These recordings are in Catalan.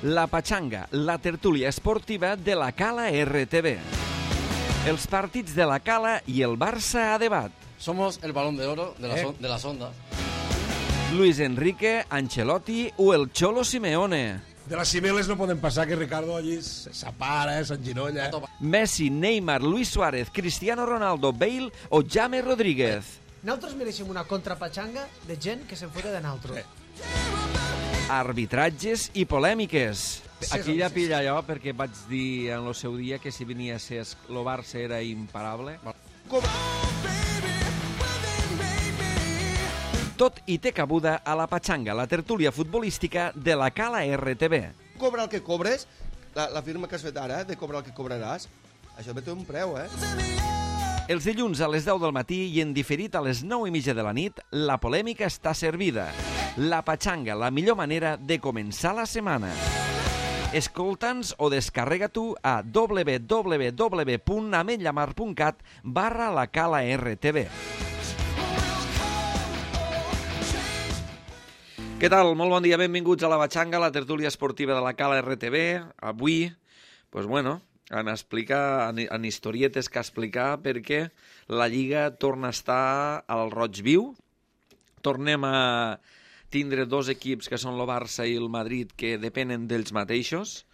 La Pachanga, la tertúlia esportiva de la Cala RTV. Els partits de la Cala i el Barça a debat. Somos el balón de oro de las ondas. Luis Enrique, Ancelotti o el Cholo Simeone. De les cimeles no poden passar que Ricardo allí s'apara, s'enginolla. Messi, Neymar, Luis Suárez, Cristiano Ronaldo, Bale o James Rodríguez. Nosaltres mereixem una contrapatxanga de gent que se'n fota de nosaltres. Arbitratges i polèmiques. Aquí ja pilla allò perquè vaig dir en el seu dia que si venia a ser el Barça era imparable. Tot i té cabuda a la Pachanga, la tertúlia futbolística de la Cala RTV. Cobra el que cobres, la firma que has fet ara, de cobrar el que cobraràs, això té un preu, Els dilluns a les 10 del matí i en diferit a les 9:30 de la nit, la polèmica està servida. La Pachanga, la millor manera de començar la setmana. Escolta'ns o descarrega tu a www.ametllamar.cat/la Cala RTV. Què tal? Molt bon dia, benvinguts a la Pachanga, la tertúlia esportiva de la Cala RTV. Avui, en historietes que explicar perquè la Lliga torna a estar al roig viu. Tornem a tindre dos equips que són el Barça i el Madrid que depenen d'ells mateixos.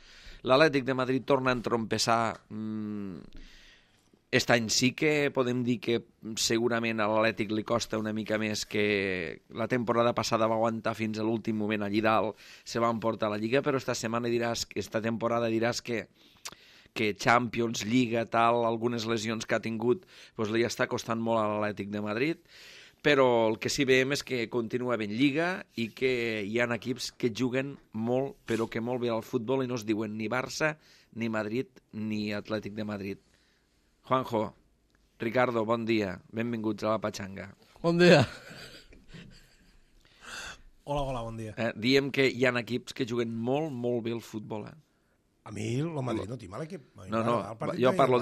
L'Atlètic de Madrid torna a entrompessar. Aquest any sí que podem dir que segurament a l'Atlètic li costa una mica més, que la temporada passada va aguantar fins a l'últim moment allí dalt, se va emportar la Lliga, però esta temporada diràs que Champions, Lliga, tal, algunes lesions que ha tingut, li està costant molt a l'Atlètic de Madrid, però el que sí veiem és que continua ben Lliga i que hi ha equips que juguen molt, però que molt bé al futbol i no es diuen ni Barça, ni Madrid, ni Atlètic de Madrid. Juanjo, Ricardo, bon dia. Benvinguts a la Pachanga. Bon dia. Hola, bon dia. Diem que hi ha equips que juguen molt, molt bé al futbol. A mi el Madrid no tinc mal equip. No, jo parlo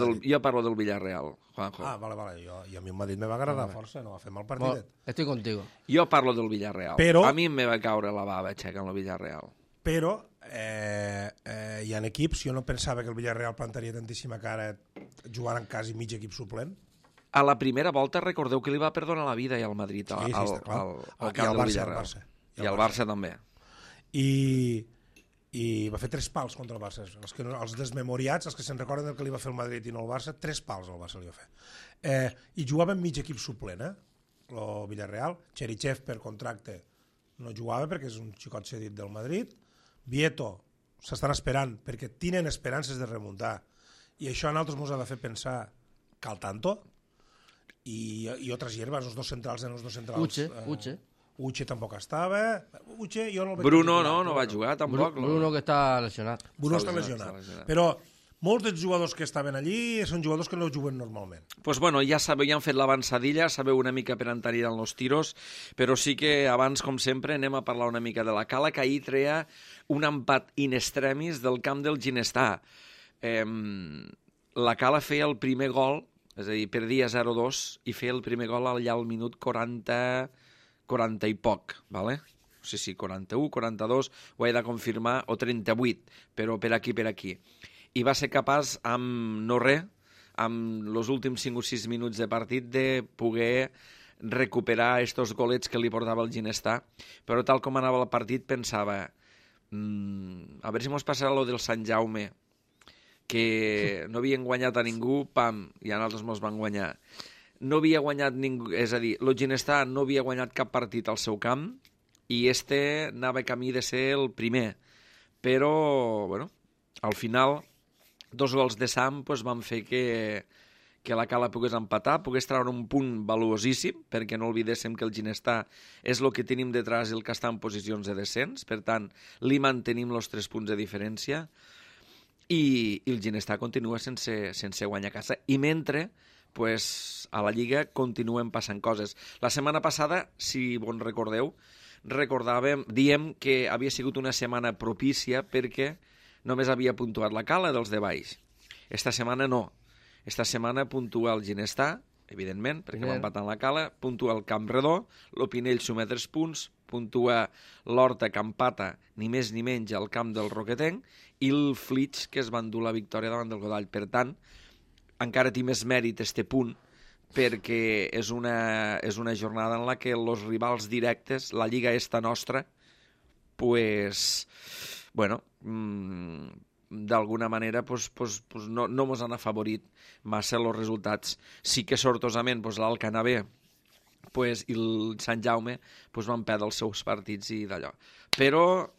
del Villarreal, Juanjo. Vale. I a mi el Madrid me va agradar força, no va fer mal partidet. Estoy contigo. Jo parlo del Villarreal. Però, a mi em va caure la bava aixecant el Villarreal. Però hi ha equips, jo no pensava que el Villarreal plantaria tantíssima cara jugant en quasi mig equip suplent. A la primera volta recordeu que li va perdonar la vida al Madrid, al camp del Villarreal. I al Barça també. I va fer 3 pals contra el Barça. Els desmemoriats, els que se'n recorden del que li va fer el Madrid i no el Barça, 3 pals al Barça li va fer. I jugava en mig equip suplent, el Villarreal. Cherichev, per contracte, no jugava perquè és un xicot cedit del Madrid. Vieto s'estan esperant perquè tenen esperances de remuntar i això a nosaltres ens ha de fer pensar que al tanto i altres hierbes, els dos centrals Uche tampoc estava. Bruno no va jugar tampoc. Bruno que està lesionat. Bruno està lesionat. Però molts dels jugadors que estaven allí són jugadors que no juguen normalment. Pues bueno, ja sabeu, ja han fet l'avançadilla, sabeu una mica per on aniran els tiros, però sí que abans, com sempre, anem a parlar una mica de la Cala, que ahir treia un empat in extremis del camp del Ginestà. La Cala feia el primer gol, és a dir, perdia 0-2, i feia el primer gol allà al minut 40 i poc, ¿vale? Sí, 41, 42, ho he de confirmar, o 38, però per aquí. I va ser capaç, amb els últims 5 o 6 minuts de partit, de poder recuperar estos golets que li portava el Ginestà. Però tal com anava el partit, pensava, a veure si mos passarà lo del Sant Jaume, que no havien guanyat a ningú, pam, i a nosaltres mos van guanyar. No havia guanyat ningú, és a dir, el Ginestà no havia guanyat cap partit al seu camp, i anava camí de ser el primer. Però, bueno, al final 2 gols de Sam van fer que la Cala pogués empatar, pogués treure un punt valuosíssim, perquè no oblidéssim que el Ginestà és el que tenim detrás i el que està en posicions de descens, per tant, li mantenim els 3 punts de diferència, i el Ginestà continua sense guanyar a casa. I mentre, a la Lliga continuen passant coses. La setmana passada, si bon recordeu, diem que havia sigut una setmana propícia perquè només havia puntuat la Cala dels de baix. Esta setmana no. Esta setmana puntua el Ginestà, evidentment, perquè va empatant la Cala, puntua el Campredó, l'Opinell suma 3 punts, puntua l'Horta, que empata ni més ni menys al camp del Roquetenc, i el Flix, que es va endur la victòria davant del Godall. Per tant, encara té més mèrit este punt, perquè és una jornada en la que els rivals directes, la Lliga esta nostra, pues, bueno, d'alguna manera no mos han afavorit massa els resultats. Sí que sortosament l'Alcanavè i el Sant Jaume van perdre els seus partits i d'allò. Però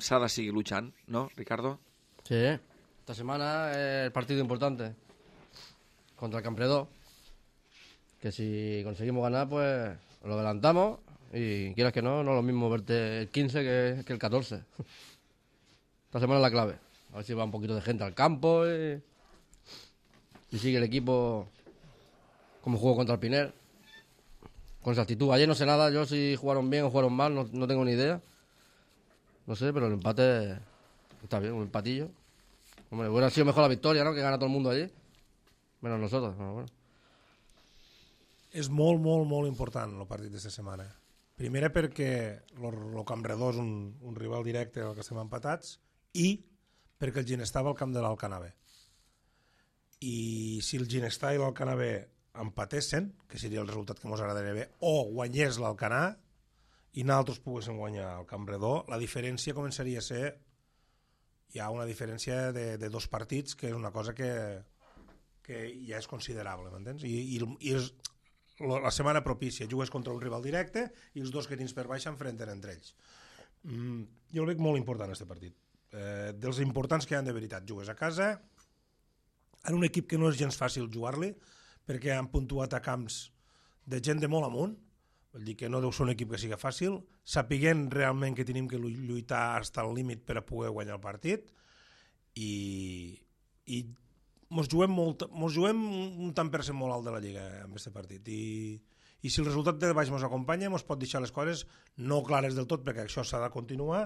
s'ha de seguir luchant, ¿no, Ricardo? Sí, esta semana es el partido importante contra el Campredó, que si conseguimos ganar, pues lo adelantamos y quieras que no es lo mismo verte el 15 que el 14. Esta semana es la clave. A ver si va un poquito de gente al campo y sigue el equipo como jugó contra el Piner. Con esa actitud. Ayer no sé nada, yo si jugaron bien o jugaron mal, no tengo ni idea. No sé, pero el empate está bien, un empatillo. Hombre, hubiera sido mejor la victoria, ¿no? Que gana todo el mundo allí. Menos nosotros, pero bueno. És molt, molt, molt important el partit d'aquesta setmana. Primera perquè el Campredó és un rival directe al que estem empatats i perquè el Ginestar va al camp de l'Alcanavè. I si el Ginestar i l'Alcanavè empatessin, que seria el resultat que ens agradaria bé, o guanyés l'Alcanar i nosaltres poguéssim guanyar el Campredó, la diferència començaria a ser una diferència de 2 partits, que és una cosa que ja és considerable, m'entens? I és la setmana propícia, jugues contra un rival directe i els 2 que tens per baix s'enfrenten entre ells. Jo el veig molt important, aquest partit. Dels importants que hi ha de veritat. Jugues a casa, en un equip que no és gens fàcil jugar-li, perquè han puntuat a camps de gent de molt amunt, vol dir que no deu ser un equip que sigui fàcil, sapiguent realment que tenim que lluitar fins al límit per a poder guanyar el partit, i mos juguem un tant per cent molt alt de la Lliga amb aquest partit, i si el resultat de baix mos acompanya mos pot deixar les coses no clares del tot, perquè això s'ha de continuar,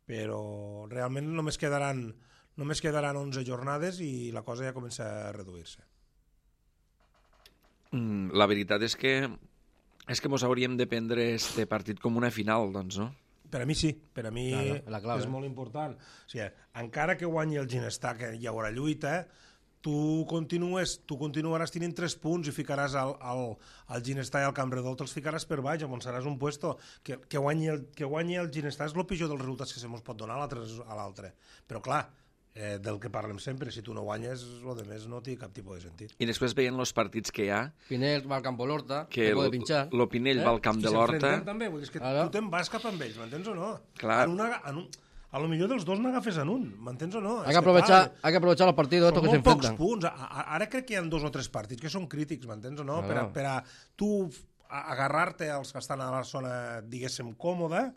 però realment només quedaran 11 jornades i la cosa ja comença a reduir-se. La veritat és que mos hauríem de prendre este partit com una final, doncs, no? Per a mi sí, per a mi claro, és molt important. O sigui, encara que guanyi el Ginestar, que hi haurà lluita, tu continuaràs tenint 3 punts i ficaràs al Ginestar i al Campredó, te'ls ficaràs per baix, on seràs un puesto. Que guanyi el Ginestar és el pitjor dels resultats que se mos pot donar a l'altre. Però clar, del que parlem sempre, si tu no guanyes, el de més no té cap tipus de sentit. I després veient els partits que hi ha... Pinell va al camp de l'Horta, que puede pinchar. Lo Pinell va al camp de l'Horta... També, vull dir, és que tu te'n vas cap amb ells, m'entens o no? Clar. A lo millor dels 2 n'agafes en un, m'entens o no? Hay que aprovechar los partidos estos que se enfrentan. Són molt pocs punts. Ara crec que hi ha 2 o 3 partits que són crítics, m'entens o no? Per a tu agarrar-te als que estan a la zona, diguéssim, còmoda,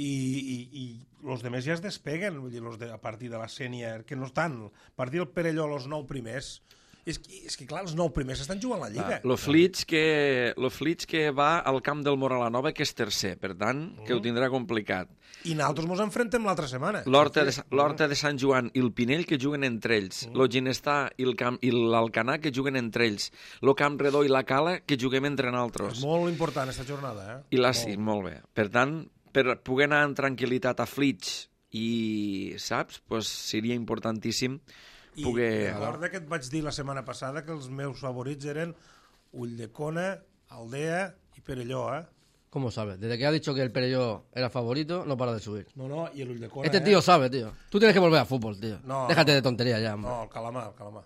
i els demés ja es despeguen, vull dir, a partir de la sènior, que no estan, a partir del Perelló, els 9 primers, és que clar, els 9 primers estan jugant la Lliga. Lo Flix que va al camp del Moralanova, que és tercer, per tant, que ho tindrà complicat. I nosaltres ens enfrentem l'altra setmana. L'Horta de Sant Joan i el Pinell, que juguen entre ells. Lo Ginestar i l'Alcanar, que juguen entre ells. Lo Campredó i la Cala, que juguem entre nosaltres. És molt important, aquesta jornada. Sí, molt bé. Per tant, per poder anar amb tranquil·litat a Flix i, saps, pues seria importantíssim poder... I recorda que et vaig dir la setmana passada que els meus favorits eren Ulldecona, Aldea i Perelló, ¿Cómo sabes? Desde que ha dicho que el Perelló era favorito, no para de subir. No, y el Ulldecona... Este tío sabe, tío. Tú tienes que volver a fútbol, tío. No, déjate de tonterías ya, hombre. No, el Calamar.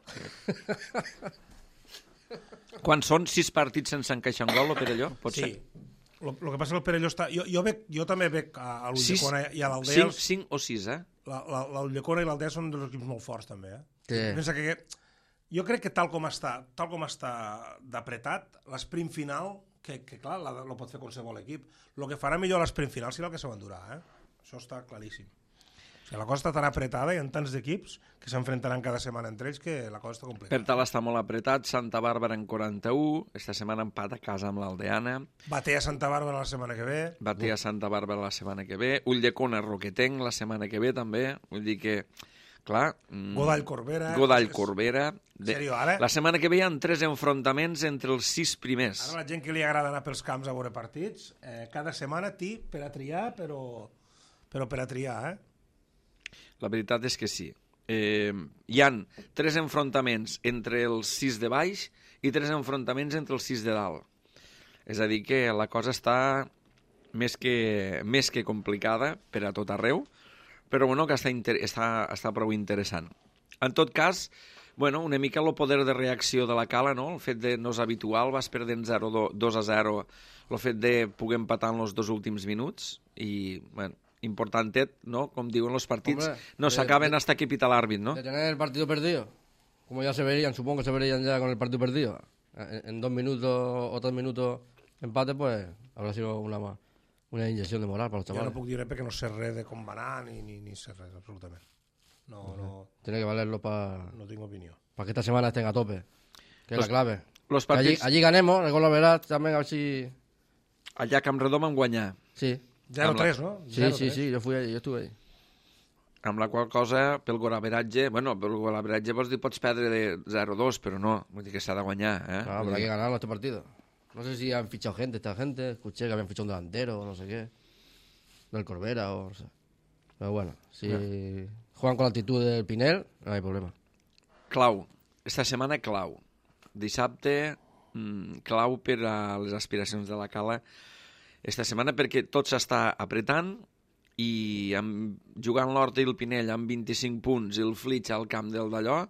Quan són 6 partits sense encaixar un gol, o Perelló? Pot ser? Sí. El que passa que el Perelló està... Jo també veig a l'Ulldecona i a l'Aldea... 5 o 6, L'Ulldecona i l'Aldea són dos equips molt forts, també, Sí. Pensa que... Jo crec que tal com està d'apretat, l'esprint final, que clar, lo pot fer qualsevol equip. El que farà millor l'esprint final serà el que se m'endurà, Això està claríssim. O sigui, la cosa està tan apretada, hi ha tants equips que s'enfrontaran cada setmana entre ells que la cosa està complicada. Per tal està molt apretat, Santa Bàrbara en 41, esta setmana empat a casa amb l'Aldeana. Batea Santa Bàrbara la setmana que ve. Batea Santa Bàrbara la setmana que ve. Ulldecona Roquetenc la setmana que ve també. Vull dir que, Clar, Godall Corbera. Godall Corbera. Serio, ara? La setmana que ve hi ha 3 enfrontaments entre els 6 primers. Ara la gent que li agrada anar pels camps a veure partits, cada setmana per a triar, però per a triar, La veritat és que sí. Hi han 3 enfrontaments entre els 6 de baix i 3 enfrontaments entre els 6 de dalt. És a dir, que la cosa està més que complicada per a tot arreu, però bueno, que està prou interessant. En tot cas, bueno, una mica el poder de reacció de la Cala, no? El fet de no és habitual, vas perdent 2-0, el fet de poder empatar en els 2 últims minuts i, bueno, importantet, ¿no? Com diuen los partits, Hombre, no s'acaben hasta que pita l'àrbit, ¿no? De tener el partido perdido, como ya se verían, supongo que se verían ya con el partido perdido, en 2 minutos o 3 minutos empate, pues habrá sido una inyección de moral para los Jo chavales. no puc dir perquè no sé res de com va anar ni sé res, absolutament. No Tiene que valerlo para tinc opinió. que esta semana estén a tope, que es la clave. Los Que partits allí ganemos, el gol la verás, también a ver si... allà a Camp Redó van guanyar, Sí, 0-3, no? sí, 0-3. sí, yo estuve ahí. amb la qual cosa, pel golaveratge, bueno, pel golaveratge pots perdre de 0-2, però no, vull dir que s'ha de guanyar, eh? Claro, pero hay que ganarlo este partido. No sé si han fichado esta gente, escuché que habían fichado un delantero o no sé qué, del Corbera o no sé. Pero bueno, si juegan con la actitud del Pinel, no hay problema. Clau, esta setmana clau. Dissabte, clau per a les aspiracions de la Cala esta setmana perquè tot s'està apretant i jugant l'Horta i el Pinell amb 25 punts i el Flitx al camp del d'allò,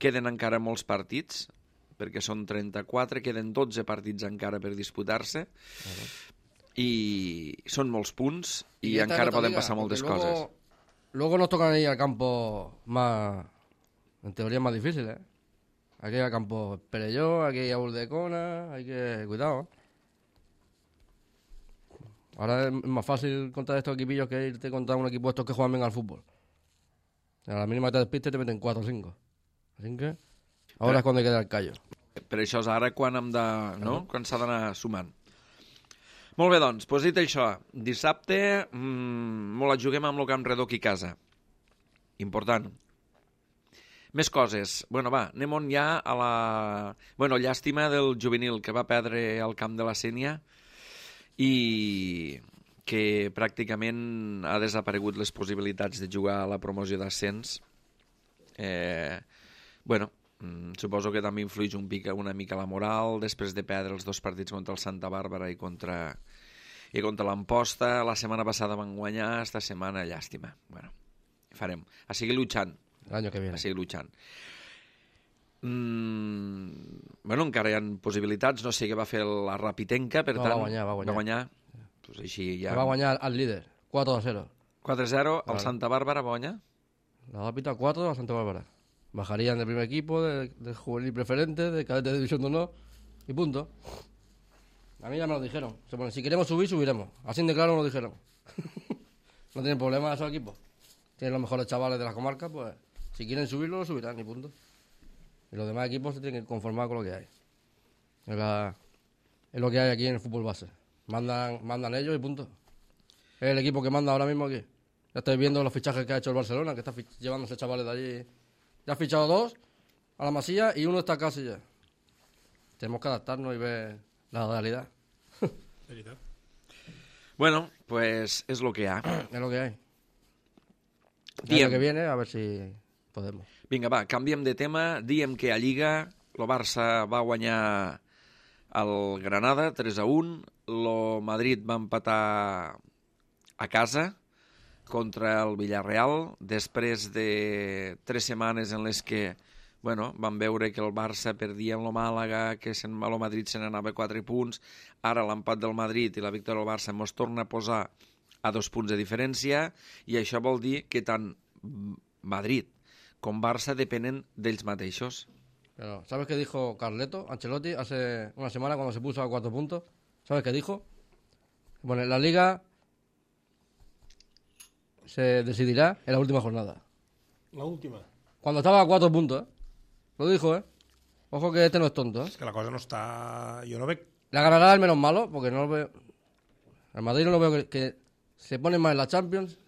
queden encara molts partits, perquè són 34, queden 12 partits encara per disputar-se, i són molts punts i esta encara es otra poden liga, passar moltes porque coses. Luego nos tocan ir al campo más, en teoría más difícil, ¿eh? Hay que ir al campo Perelló, hay que ir a Uldecona, hay que... Cuidado, ¿eh? Ahora es más fácil contra estos equipillos que irte contra un equipo estos que juegan bien al fútbol. A la mínima que te despistes te meten 4 o 5. Así que ahora es cuando hay que dar el callo. Per això és ara quan hem de, no? Quan s'ha d'anar sumant. Molt bé, doncs, dit això, dissabte la juguem amb el Camp Redó aquí a casa. Important. Més coses. Bueno, va, anem ja a la... Bueno, llàstima del juvenil que va perdre al camp de la Sénia i que pràcticament ha desaparegut les possibilitats de jugar a la promoció d'ascens. Bueno, suposo que també influeix una mica la moral després de perdre els 2 partits contra el Santa Bàrbara i contra l'Amposta. La setmana passada van guanyar, esta setmana llàstima. Bueno, farem. A seguir luchant. El año que viene. A seguir luchant. Bueno, encara hi ha possibilitats. No sé què va fer la Rapitenca, per No, tant... va guanyar. Va guanyar. Pues així ja... Va a guanyar al líder, 4-0. 4-0, el Vale. Santa Bàrbara va guanyar. La Rápita 4 a Santa Bárbara. Bajarían del primer equipo, del juvenil preferente, de cadete de división de honor y punto. A mí ya me lo dijeron. Bueno, si queremos subir, subiremos. Así de claro me lo dijeron. No tienen problema esos equipos. Tienen los mejores chavales de la comarca, pues si quieren subirlo, lo subirán y punto. Y los demás equipos se tienen que conformar con lo que hay. Es lo que hay aquí en el fútbol base. Mandan ellos y punto. Es el equipo que manda ahora mismo aquí. Ya estáis viendo los fichajes que ha hecho el Barcelona, que está llevándose chavales de allí. Ya ha fichado 2 a la Masía y uno está casi ya. Tenemos que adaptarnos y ver la realidad. Bueno, pues és lo que hi ha. Es lo que hay. El Diem. año que viene, a ver si podemos. Vinga, va, canviem de tema. Diem que a Lliga el Barça va guanyar el Granada 3-1, el Madrid va empatar a casa contra el Villarreal després de 3 setmanes en les que bueno, vam veure que el Barça perdia amb el Màlaga, que el Madrid se n'anava a 4 punts, ara l'empat del Madrid i la victòria del Barça ens torna a posar a 2 punts de diferència i això vol dir que tant Madrid com Barça depenen d'ells mateixos. Pero, ¿sabes qué dijo Ancelotti, hace una semana cuando se puso a 4 puntos? ¿Sabes qué dijo? Bueno, la Liga se decidirá en la última jornada. La última. Cuando estaba a 4 puntos, ¿eh? Lo dijo, ¿eh? Ojo que este no es tonto, ¿eh? És que la cosa no està... Jo no veig... La ganará el menos malo, porque no lo veo... Al Madrid no lo veo que se pone más en la Champions,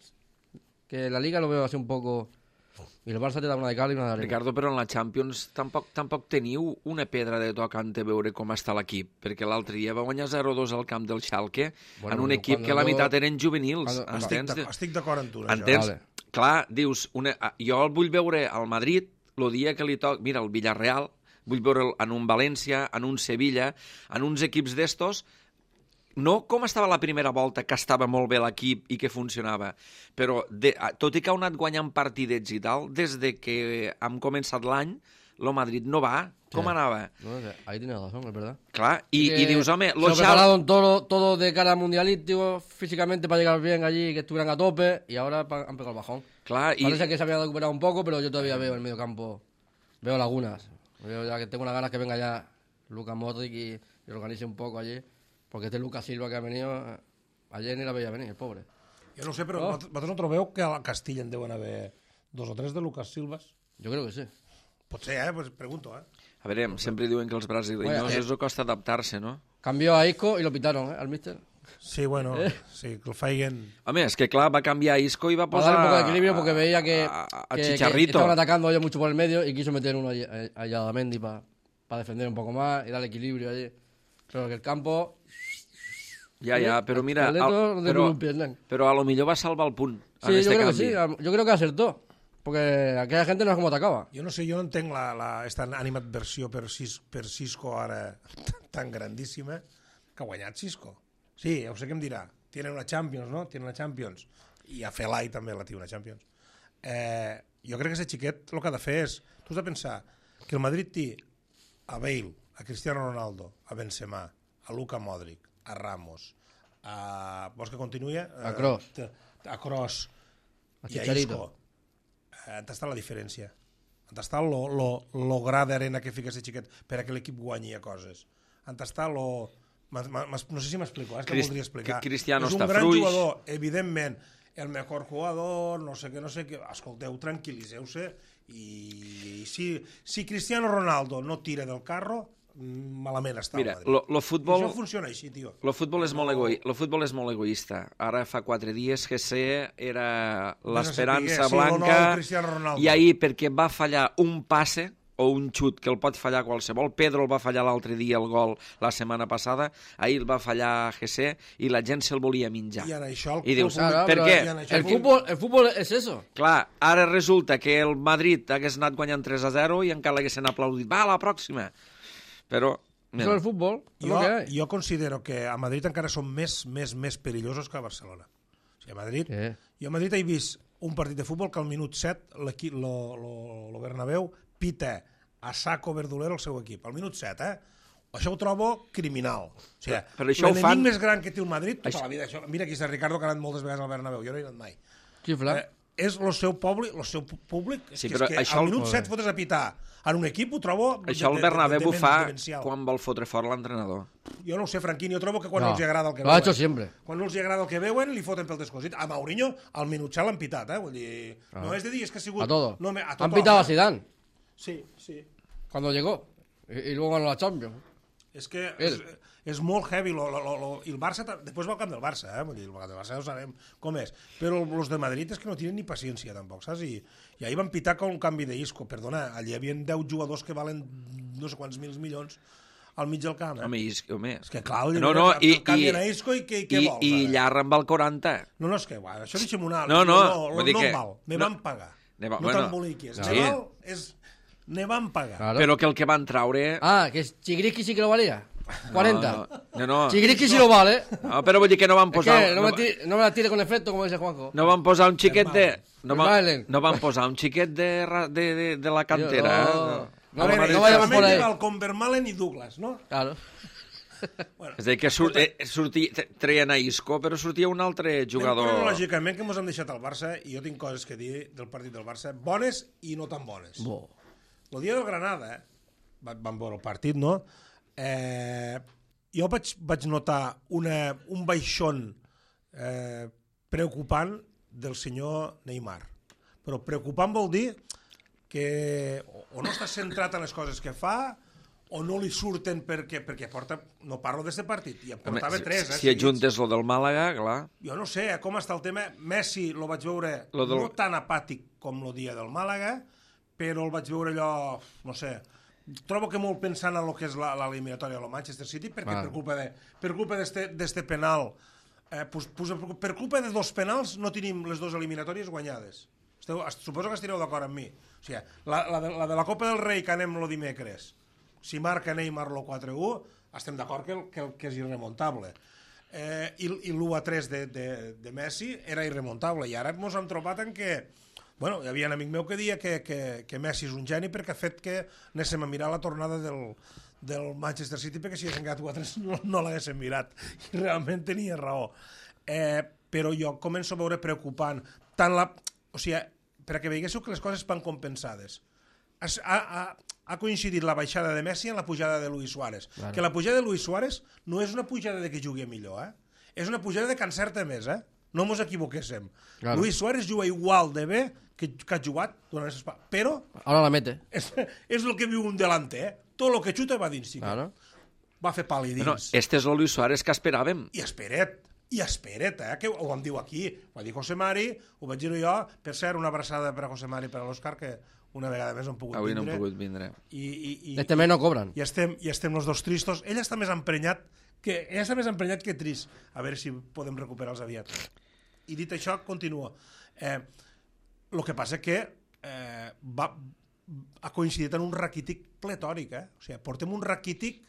que en la Liga lo veo así un poco... I el Barça té una de cal i una d'arena. Ricardo, però en la Champions tampoc teniu una pedra de tocant a veure com està l'equip, perquè l'altre dia va guanyar 0-2 al camp del Schalke en un equip que la meitat eren juvenils. Estic d'acord amb tu. Entens? Clar, dius, jo el vull veure al Madrid el dia que li toca, mira, el Villarreal, vull veure en un València, en un Sevilla, en uns equips d'estos, no com estava la primera volta, que estava molt bé l'equip i que funcionava, però tot i que ha anat guanyant partidets i tal, des de que hem començat l'any, el Madrid no va. Com anava? No sé, ahí tienes razón, es verdad. Clar, y dius, home... Se lo prepararon todo de cara al mundialito, físicamente para llegar bien allí, que estuvieran a tope, y ahora han pegado el bajón. Clar, Parece que se había recuperado un poco, pero yo todavía veo en el medio campo, veo lagunas. Veo ya que tengo unas ganas que venga ya Luka Modric y organice un poco allí, porque este Lucas Silva que ha venido, ayer ni la veía venir, el pobre. Jo no ho sé, però vosaltres no trobeu que a la Castilla en deuen haver 2 o 3 de Lucas Silvas? Yo creo que sí. Pot ser, pues pregunto, A veure, sempre diuen que els brasileños és el costa adaptar-se, no? Cambió a Isco y lo pitaron, al míster. Sí, bueno, sí, que el feien... Home, és que clar, va canviar Isco i va Para posar... dar un poco de equilibrio porque veía que Chicharrito. estaban atacando ellos mucho por el medio y quiso meter uno allá a Mendy para defender un poco más y darle equilibrio allí. Pero que el campo... Ja, però mira... Però a lo millor va salvar el punt. Sí, yo creo que sí. Yo creo que acertó. Porque aquella gente no es como atacaba. Jo no sé, jo no entenc esta animadversió per Cisco ara tan grandíssima que ha guanyat Cisco. Sí, ja ho sé què em dirà. Tiene una Champions, no? Tiene una Champions. I a Felai també la té una Champions. Jo crec que aquest xiquet el que ha de fer és... Tu has de pensar que el Madrid té a Bale, a Cristiano Ronaldo, a Benzema, a Luka Modric, a Ramos, a... Vols que continuï? A Kroos. A Kroos. A I a Chicharito. Isco. On està la diferència? On està lo gra d'arena que fica aquest xiquet per a que l'equip guanyi a coses? On està lo... No sé si m'explico, és que voldria explicar. Cristiano és un està gran fruix. jugador, evidentment, el millor jugador, no sé què. Escolteu, tranquil·liseu-se i si Cristiano Ronaldo no tira del carro, malament està Mira, el Madrid. lo futbol... Això funciona així, tio. El futbol és molt egoista. Ara fa 4 dies GC era l'esperança blanca i ahir perquè va fallar un passe o un xut que el pot fallar qualsevol. Pedro el va fallar l'altre dia el gol la setmana passada, ahir el va fallar GC i la gent se'l volia menjar. I ara això... I dius, Claro, per què? el fútbol es eso. Clar, ara resulta que el Madrid hagués anat guanyant 3-0 i encara l'haguessin aplaudit. Va, a la pròxima! Però... Eso es el fútbol, es lo que hay. Jo considero que a Madrid encara són més perillosos que a Barcelona. O sigui, a Madrid... Jo a Madrid he vist un partit de futbol que al minut 7 l'equip, lo Bernabéu, pita a saco verdolero el seu equip. Al minut 7, Això ho trobo criminal. O sigui, l'enemic més gran que té el Madrid tota la vida. Mira aquí està Ricardo, que ha anat moltes vegades al Bernabéu. Jo no he anat mai. Xifla. És el seu públic, Sí, que al minut 7 fotes a pitar en un equip, ho trobo... Això el Bernabéu fa quan vol fotre fort l'entrenador. Jo no ho sé, Franquini, jo trobo que quan no els agrada el que veuen... Lo ha hecho siempre. Quan no els agrada el que veuen, li foten pel descosit. A Mourinho, al minut 7 l'han pitat, Vull dir, no és de dir, és que ha sigut... A todo. No, han pitado a Zidane. Sí. Cuando llegó. Y luego ganó la Champions. És que és molt heavy. I el Barça, després va al camp del Barça, Vull dir, el camp del Barça ja ho sabem com és. Però els de Madrid és que no tenen ni paciència, tampoc, saps? I ahir van pitar com un canvi d'Isco. Perdona, allà hi havia 10 jugadors que valen no sé quants milions al mig del camp, Home, És que clar, canvien a Isco i què vols? I Llarra amb el 40. No, és que, això deixem una... No val, me van pagar. No t'emboliquis. Ne van pagar. Però que el que van traure... Que Chigriski sí que lo valía. 40. No. Chigriski sí lo vale. No, però vull dir que no van posar... No me la tire con efecto, como dice Juanjo. No van posar un xiquet de... No van posar un xiquet de la cantera. No vayamos por ahí. Con Vermaelen i Douglas, no? Claro. És a dir, que treien a Isco, però sortia un altre jugador... Lògicament que ens hem deixat al Barça, i jo tinc coses que dir del partit del Barça, bones i no tan bones. El dia del Granada, vam veure el partit, no? Jo vaig notar un baixón preocupant del senyor Neymar. Però preocupant vol dir que o no està centrat en les coses que fa o no li surten perquè porta... No parlo d'aquest partit, i en portava 3. Si ajuntes lo del Màlaga, clar. Jo no sé com està el tema. Messi lo vaig veure no tan apàtic com el dia del Màlaga, però el vaig veure allò, no sé, trobo que molt pensant en el que és l'eliminatòria del Manchester City, perquè per culpa d'este penal, per culpa de 2 penals no tenim les 2 eliminatòries guanyades. Suposo que estireu d'acord amb mi. O sigui, la de la Copa del Rei que anem el dimecres, si marca Neymar el 4-1, estem d'acord que és irremontable. I l'1-3 de Messi era irremontable, i ara ens hem trobat en què hi havia un amic meu que deia que Messi és un geni perquè ha fet que anéssim a mirar la tornada del Manchester City, perquè si haguessin quedat 4-3 no l'haguéssim mirat, i realment tenia raó. Però jo començo a veure preocupant o sigui, perquè veiéssiu que les coses van compensades. Ha coincidit la baixada de Messi amb la pujada de Luis Suárez. Claro. Que la pujada de Luis Suárez no és una pujada de que jugui millor, és una pujada de que encerta més, no mos equivoquéssim. Claro. Luis Suárez juga igual de bé que ha jugat durant aquestes parts, però... Ara la mete. És el que viu un delanter, Tot el que xuta va dins. Claro. Va fer pal i dins. No, este és el Luis Suárez que esperàvem. I esperet, que ho vam dir aquí. Ho va dir José Mari, ho vaig dir jo. Per cert, una abraçada per a José Mari i per a l'Òscar, que una vegada més no han pogut vindre. Avui no han pogut vindre. Este mes no cobren. I estem els dos tristos. Ell està més emprenyat que trist. A veure si podem recuperar-los aviat. I dit això, continua. El que passa que ha coincidit en un raquític pletòric. O sigui, portem un raquític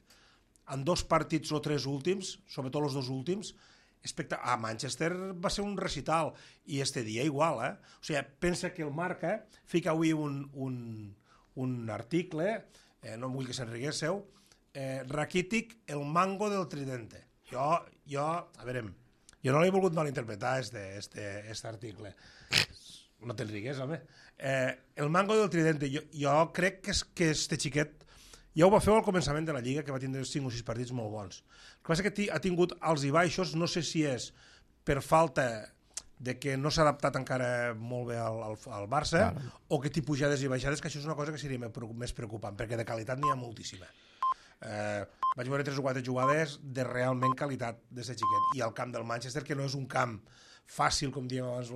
en 2 partits o 3 últims, sobretot els 2 últims. A Manchester va ser un recital, i este dia igual. O sigui, pensa que el Marca fica avui un article, no vull que s'enriguéssiu, raquític, el mango del tridente. Jo no l'he volgut malinterpretar, este article. No te'n home. El mango del tridente, jo crec que este xiquet ja ho va fer al començament de la Lliga, que va tindre 5 o 6 partits molt bons. El que passa que ha tingut alts i baixos, no sé si és per falta de que no s'ha adaptat encara molt bé al Barça, o que té pujades i baixades, que això és una cosa que seria més preocupant, perquè de qualitat n'hi ha moltíssima. Vaig veure 3 o 4 jugades de realment qualitat d'aquest xiquet, i al camp del Manchester, que no és un camp fàcil, com dèiem abans,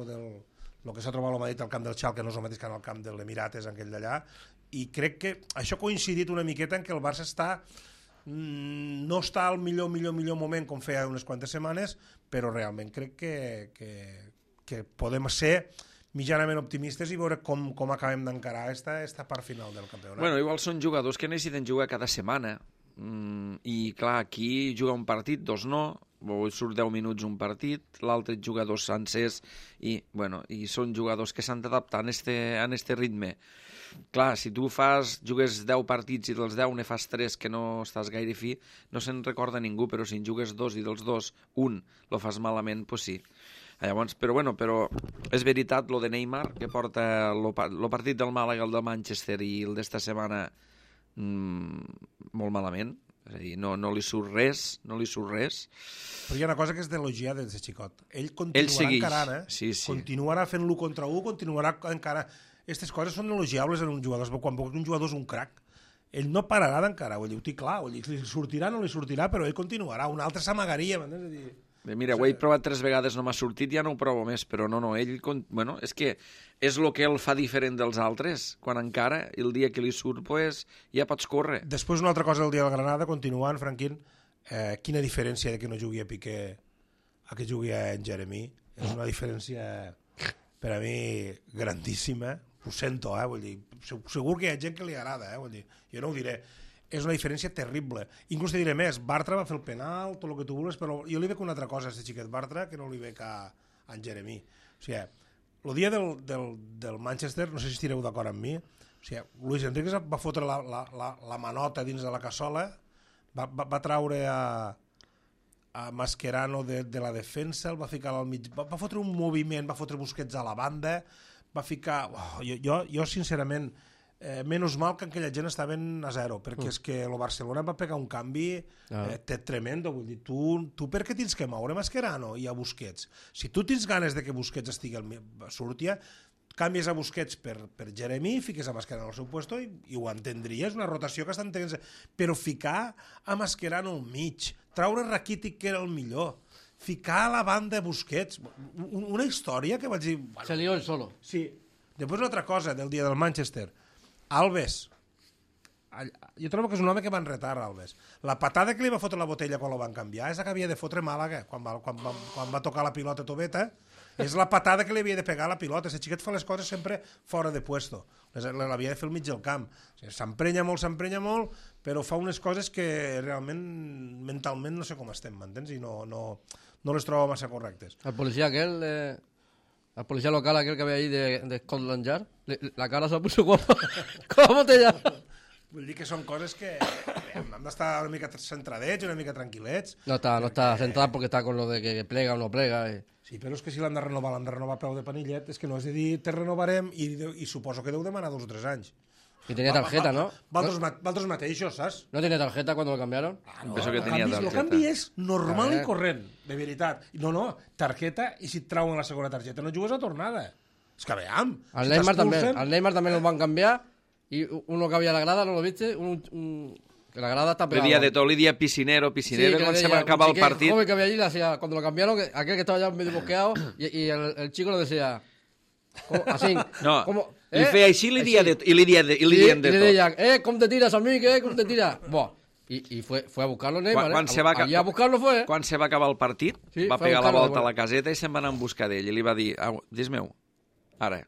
el que s'ha trobat a Madrid al camp del Schalke no és el mateix que en el camp de l'Emirates, aquell d'allà, i crec que això ha coincidit una miqueta en què el Barça no està al millor moment com feia unes quantes setmanes, però realment crec que podem ser mitjanament optimistes i veure com acabem d'encarar esta part final del campionat. Bueno, igual són jugadors que necessiten jugar cada setmana, i clar, aquí juga un partit, 2 no, surt 10 minuts un partit, l'altre juga 2 sencers, i són jugadors que s'han d'adaptar en este ritme. Clar, si tu jugues 10 partits i dels 10 ne fas 3 que no estàs gaire fi, no se'n recorda ningú, però si en jugues 2 i dels 2 un lo fas malament, doncs sí. Llavors, però és veritat lo de Neymar, que porta el partit del Màlaga, el del Manchester i el d'esta setmana molt malament. És a dir, no li surt res. Però hi ha una cosa que és d'elogiar des de xicot. Ell continuarà encarant, continuarà fent-lo contra 1, continuarà encara... Aquestes coses són elogiables en un jugador, quan un jugador és un crac, ell no pararà d'encarar, ho té clar, li sortirà o no li sortirà, però ell continuarà, un altre s'amagaria, m'entens? Mira, ho he provat 3 vegades, no m'ha sortit, ja no ho provo més, però no, ell... Bueno, és que és el que el fa diferent dels altres, quan encara, el dia que li surt, ja pots córrer. Després una altra cosa del dia del Granada, continuant, Franquín, quina diferència de que no jugui a Piqué a que jugui a en Jeremy, és una diferència per a mi grandíssima, ho sento, vull dir, segur que hi ha gent que li agrada, vull dir, jo no ho diré, és una diferència terrible. Inclús te diré més, Bartra va fer el penal, tot el que tu vulguis, però jo li veig una altra cosa a aquest xiquet Bartra que no li veig a en Jeremy. O sigui, el dia del Manchester, no sé si estireu d'acord amb mi, o sigui, Luis Enrique va fotre la manota dins de la cassola, va traure a Mascherano de la defensa, el va ficar al mig, va fotre un moviment, va fotre Busquets a la banda, va ficar... Jo sincerament, menys mal que aquella gent estaven a 0, perquè és que el Barcelona va pegar un canvi tremendo, vull dir, tu per què tens que moure Mascherano i a Busquets? Si tu tens ganes de que Busquets surti, canvies a Busquets per Jeremy, fiques a Mascherano al seu puesto i ho entendries, una rotació que estan tenint, però ficar a Mascherano al mig, traure Rakitic, que era el millor, ficar a la banda Busquets, una història que vaig dir... Se lió el solo. Sí, Després una altra cosa del dia del Manchester. Alves. Jo trobo que és un home que va enretar, Alves. La patada que li va fotre la botella quan la van canviar és la que havia de fotre Màlaga quan va tocar la pilota Tobeta. És la patada que li havia de pegar a la pilota. Ese xiquet fa les coses sempre fora de puesto. L'havia de fer al mig del camp. O sigui, s'emprenya molt, però fa unes coses que realment mentalment no sé com estem, m'entens? I no les trobo massa correctes. El policia aquel, el policía local aquel que había ahí de Scotland Yard, la cara se la puso como botella. Vull dir que són coses que hem d'estar una mica centradets, una mica tranquil·lets. No está centrado porque está con lo de que plega o no plega. Sí, però és que si l'han de renovar a peu de panillet, és que no és de dir, te renovarem i suposo que deu demanar 2 o 3 anys. Y tenía tarjeta, ¿no? Valtros mateixos, saps? ¿No tenía tarjeta cuando lo cambiaron? Penso que tenia El targeta. canvi és normal i corrent, de veritat. No, targeta, i si et trauen la segona targeta no jugues a tornada. És que veam. Al Neymar también lo van a cambiar y uno que había en la grada, ¿no lo viste? Que la grada está Le pegada. dia de tot, li dia piscinero, Sí, que quan le se decía, va acabar un el partit. joven que había allí le hacía, cuando lo cambiaron, aquel que estaba ya medio bosqueado, y el chico le decía, así, No, como, li feia així i li dien de y le tot. decían, ¿cómo te tiras, amigo? ¿Cómo te tiras? Buah. Y fue a buscarlo Neymar, Quan se va allí a buscarlo fue. Quan se va acabar el partit, Sí, va fue a pegar la buscarlo, volta a bueno. la caseta i se'n va anar en busca d'ell. I li va dir, dis meu, ara,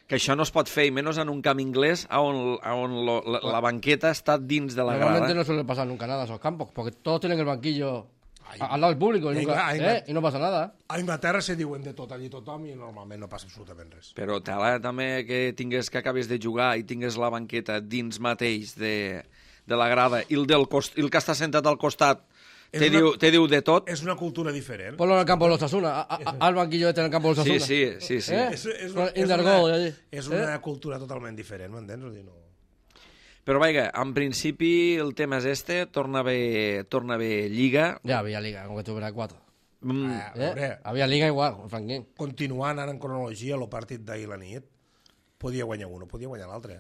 que això no es pot fer, i menys en un camp inglès on la banqueta està dins de la Normalmente grada. no suele pasar nunca nada a esos campos, porque todos tienen el banquillo al lado del público y no pasa nada. A Inglaterra se diuen de tot allí tothom i normalment no passa absolutament res. Però tela també que acabes de jugar i tingues la banqueta dins mateix de la grada i el que està sentat al costat te diu de tot. És una cultura diferent. Ponlo en el campo de los Osasuna, al banquillo este en el campo de los Osasuna. Sí. És una cultura totalment diferent, m'entens? No. Però vaja, en principi el tema és torna a haver Lliga. Ya había liga, aunque tuviera 4. A veure, Había liga igual, Franquín. continuant ara en cronologia, el partit d'ahir la nit, podia guanyar un, podia guanyar l'altre.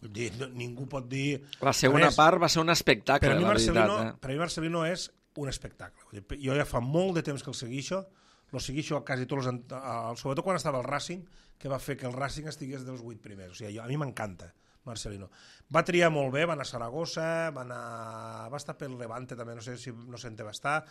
Vull dir, ningú pot dir... La segona res. part va ser un espectacle, Per a mi la veritat. Per a mi Marcelino és un espectacle. Vull dir, jo ja fa molt de temps que el seguixo a quasi tots sobretot quan estava al Racing, que va fer que el Racing estigués dels 8 primers. O sigui, a mi m'encanta Marcelino. Va triar molt bé, va anar a Saragossa, va estar pel Levante també, no sé on va estar.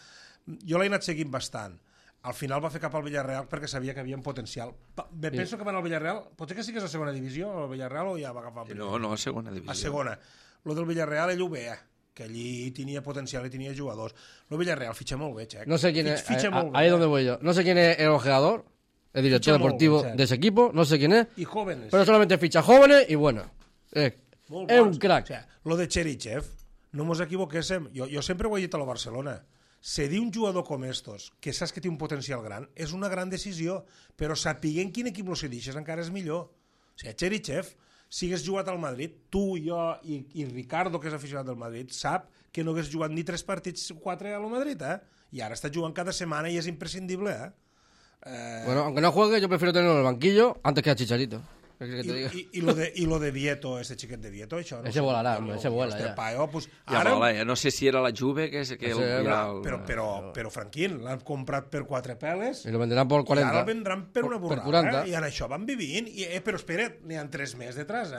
Jo l'he anat seguint bastant. Al final va fer cap al Villarreal perquè sabia que havia un potencial. Penso que van al Villarreal, potser que sigués a segona divisió, al Villarreal, o ja va agafar el primer? No, a segona divisió. A segona. Lo del Villarreal ell ho veia, que allí tenia potencial i tenia jugadors. Lo Villarreal fitxa molt bé, Xec. No sé quién es, Fitxa molt bé. ahí es donde voy yo. No sé quién es el ojeador, el director Ficha muy deportivo bien, de ese equipo, no sé quién es, I jóvenes. pero solamente ficha jóvenes y bueno. Es Molt un bons. crack. O sea, lo de Cherichev, no mos equivoquéssim. Jo sempre ho he dit a la Barcelona. Cedir un jugador com estos, que saps que té un potencial gran, és una gran decisió, però sapiguent quin equip lo cedixes encara és millor. O sigui, Cherichev, si hagués jugat al Madrid, tu, jo i Ricardo, que és aficionat del Madrid, sap que no hagués jugat ni 3 partits, 4 al Madrid, I ara està jugant cada setmana i és imprescindible, Bueno, aunque no juegue, yo prefiero tenerlo en el banquillo antes que a Chicharito. ¿Qué quieres que te diga? I lo de Vieto, este xiquet de Vieto, això... Ese volarà, hombre, ese vuela, ja. Pues, Ja ara, vola, no sé si era la Juve que però Franquín, l'han comprat per 4 peles Y lo venderán por i 40. ara el vendran per una Per borrada, 40. I en això van vivint. Però espera't, n'hi ha 3 més detrás,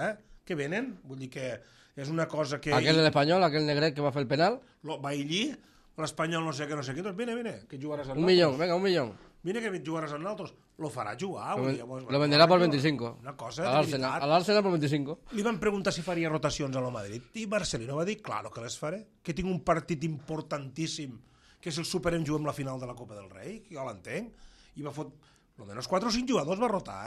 que venen. Vull dir que és una cosa que... Aquel del español, aquel negret que va a hacer el penal. Va allí, l'Espanyol no sé què, doncs vine, que jugaràs amb Un millón, venga, un millón. Vine que jugaràs amb nosaltres. Lo farà jugar. Lo venderá por 25. Una cosa Al de veritat. Arsenal por 25. Li van preguntar si faria rotacions a la Madrid i Marcelino va dir, claro que les faré, que tinc un partit importantíssim, que és el Superem, juguem la final de la Copa del Rei, que jo l'entenc, i va fot, almenys 4 o 5 jugadors va rotar,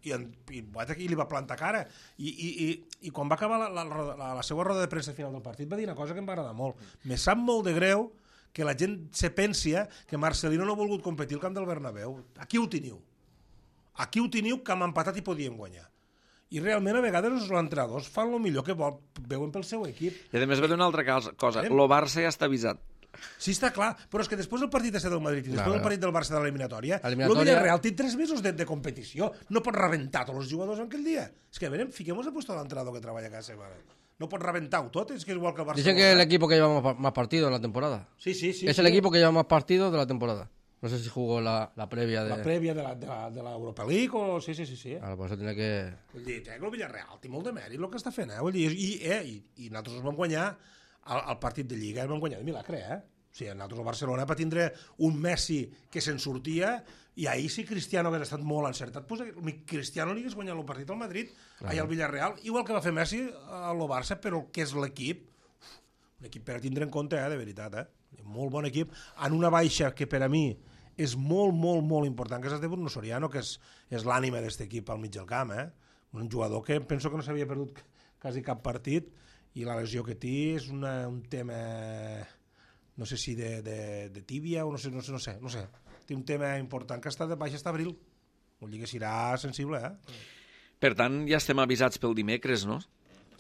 I li va plantar cara. I quan va acabar la seva roda de premsa final del partit va dir una cosa que em va agradar molt. Me sap molt de greu que la gent se pensia que Marcelino no ha volgut competir al camp del Bernabéu. Aquí ho teniu. Aquí ho teniu, que hem empatat i podíem guanyar. I realment a vegades els entrenadors fan el millor que veuen pel seu equip. I a més va dir una altra cosa, el Barça ja està avisat. Sí, està clar, però és que després del partit del Madrid i després del partit del Barça de l'eliminatòria, el Eliminatòria- Villarreal té 3 mesos de competició. No pot rebentar tots els jugadors en aquell dia. És que, a veure, fiquem-nos a puesto d'entrenador que treballa cada setmana. No pot rebentar-ho tot, és que és igual que el Barça. Dicen que es el equipo que lleva más partidos en la temporada. Sí. Es el equipo que lleva más partidos de la temporada. No sé si jugó la previa de... La prèvia de la Europa League o... Sí. Ahora, por eso tiene que... Vull dir, el Villarreal té molt de mèrit el que està fent, Vull dir, i nosaltres vam guanyar el partit de Lliga, el vam guanyar de milagre, O sigui, nosaltres el Barcelona per tindre un Messi que se'n sortia, i ahir si Cristiano hagués estat molt encertat, doncs Cristiano li hagués guanyat el partit al Madrid, al Villarreal, igual que va fer Messi al Barça, però el que és l'equip, un equip per a tindre en compte, de veritat, molt bon equip, en una baixa que per a mi és molt, molt, molt important, que és el de Bruno Soriano, que és l'ànima d'aquest equip al mig del camp, un jugador que penso que no s'havia perdut quasi cap partit, i la lesió que té és un tema, no sé si de tíbia o no sé. Té un tema important que està de baixa fins abril. Vull dir que serà sensible, Per tant, ja estem avisats pel dimecres, no?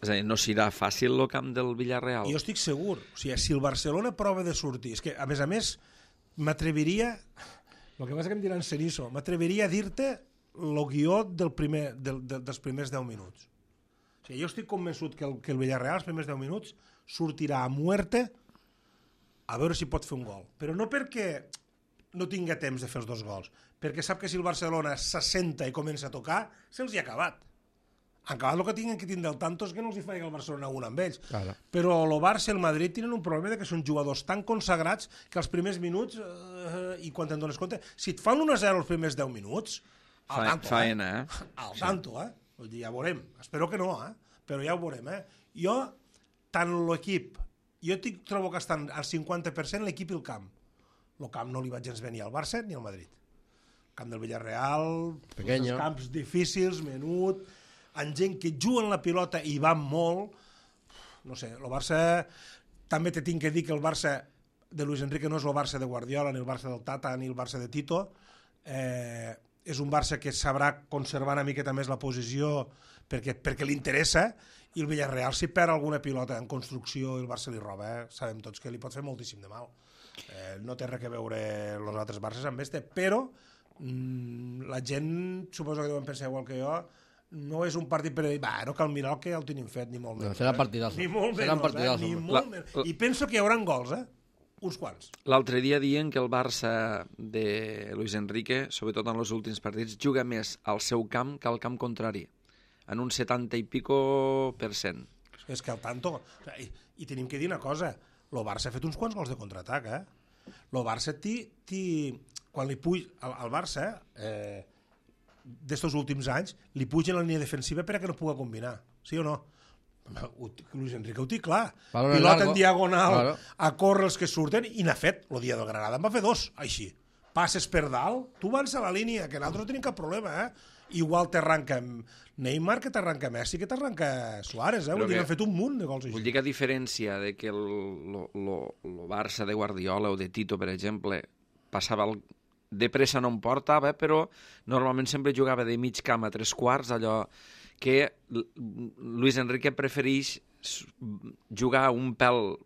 És a dir, no serà fàcil el camp del Villarreal. Jo estic segur. O sigui, si el Barcelona prova de sortir... És que, a més, m'atreviria... El que passa que em diran Cenizo. M'atreviria a dir-te el guió dels primers 10 minuts. O sigui, jo estic convençut que el Villarreal, els primers 10 minuts, sortirà a muerte a veure si pot fer un gol. Però no perquè no tinga temps de fer els 2 gols, perquè sap que si el Barcelona s'assenta i comença a tocar, se'ls hi ha acabat. Han acabat el que tinguin que tindre el tanto és que no els hi faci el Barcelona un amb ells. Claro. Però el Barça i el Madrid tenen un problema de que són jugadors tan consagrats que els primers minuts, i quan te'n dones compte, si et fan 1-0 els primers 10 minuts, al tanto, faena, al tanto, Vull dir, ja ho veurem. Espero que no, però ja ho veurem, Jo, tant l'equip, jo trobo que estan al 50% l'equip i el camp. El camp no li va gens bé ni al Barça ni al Madrid. El camp del Villarreal, els camps difícils, menut, amb gent que juguen la pilota i van molt. No sé, el Barça... També te tinc que dir que el Barça de Luis Enrique no és el Barça de Guardiola, ni el Barça del Tata, ni el Barça de Tito. És un Barça que sabrà conservar una miqueta més la posició perquè li interessa, i el Villarreal, si perd alguna pilota en construcció i el Barça li roba, sabem tots que li pot fer moltíssim de mal. No té res a veure els altres Barces amb este, però la gent, suposo que deuen pensar igual que jo, no és un partit per dir, no cal mirar el que el tenim fet, ni molt menys. Serà partidazo. Ni molt menys, ni molt menys. I penso que hi haurà gols, uns quants. L'altre dia diuen que el Barça de Luis Enrique, sobretot en els últims partits, juga més al seu camp que al camp contrari, en un 70 i pico %. És que al tanto... I tenim que dir una cosa, el Barça ha fet uns quants gols de contraatac, El Barça quan li puja... El Barça, d'estos últims anys, li puja la línia defensiva perquè no pugui combinar, sí o no? Luis Enrique ho té clar. Pilota en diagonal, a córrer els que surten, i n'ha fet. El dia del Granada en va fer 2, així. Passes per dalt, tu vas a la línia, que nosaltres no tenim cap problema, Igual t'arranca Neymar, que t'arranca Messi, que t'arranca Suárez, Vull dir que han fet un munt de gols així. Vull dir que a diferència de que el Barça de Guardiola o de Tito, per exemple, passava de pressa no em portava, però normalment sempre jugava de mig camp a 3/4, allò que Luis Enrique prefereix jugar un pèl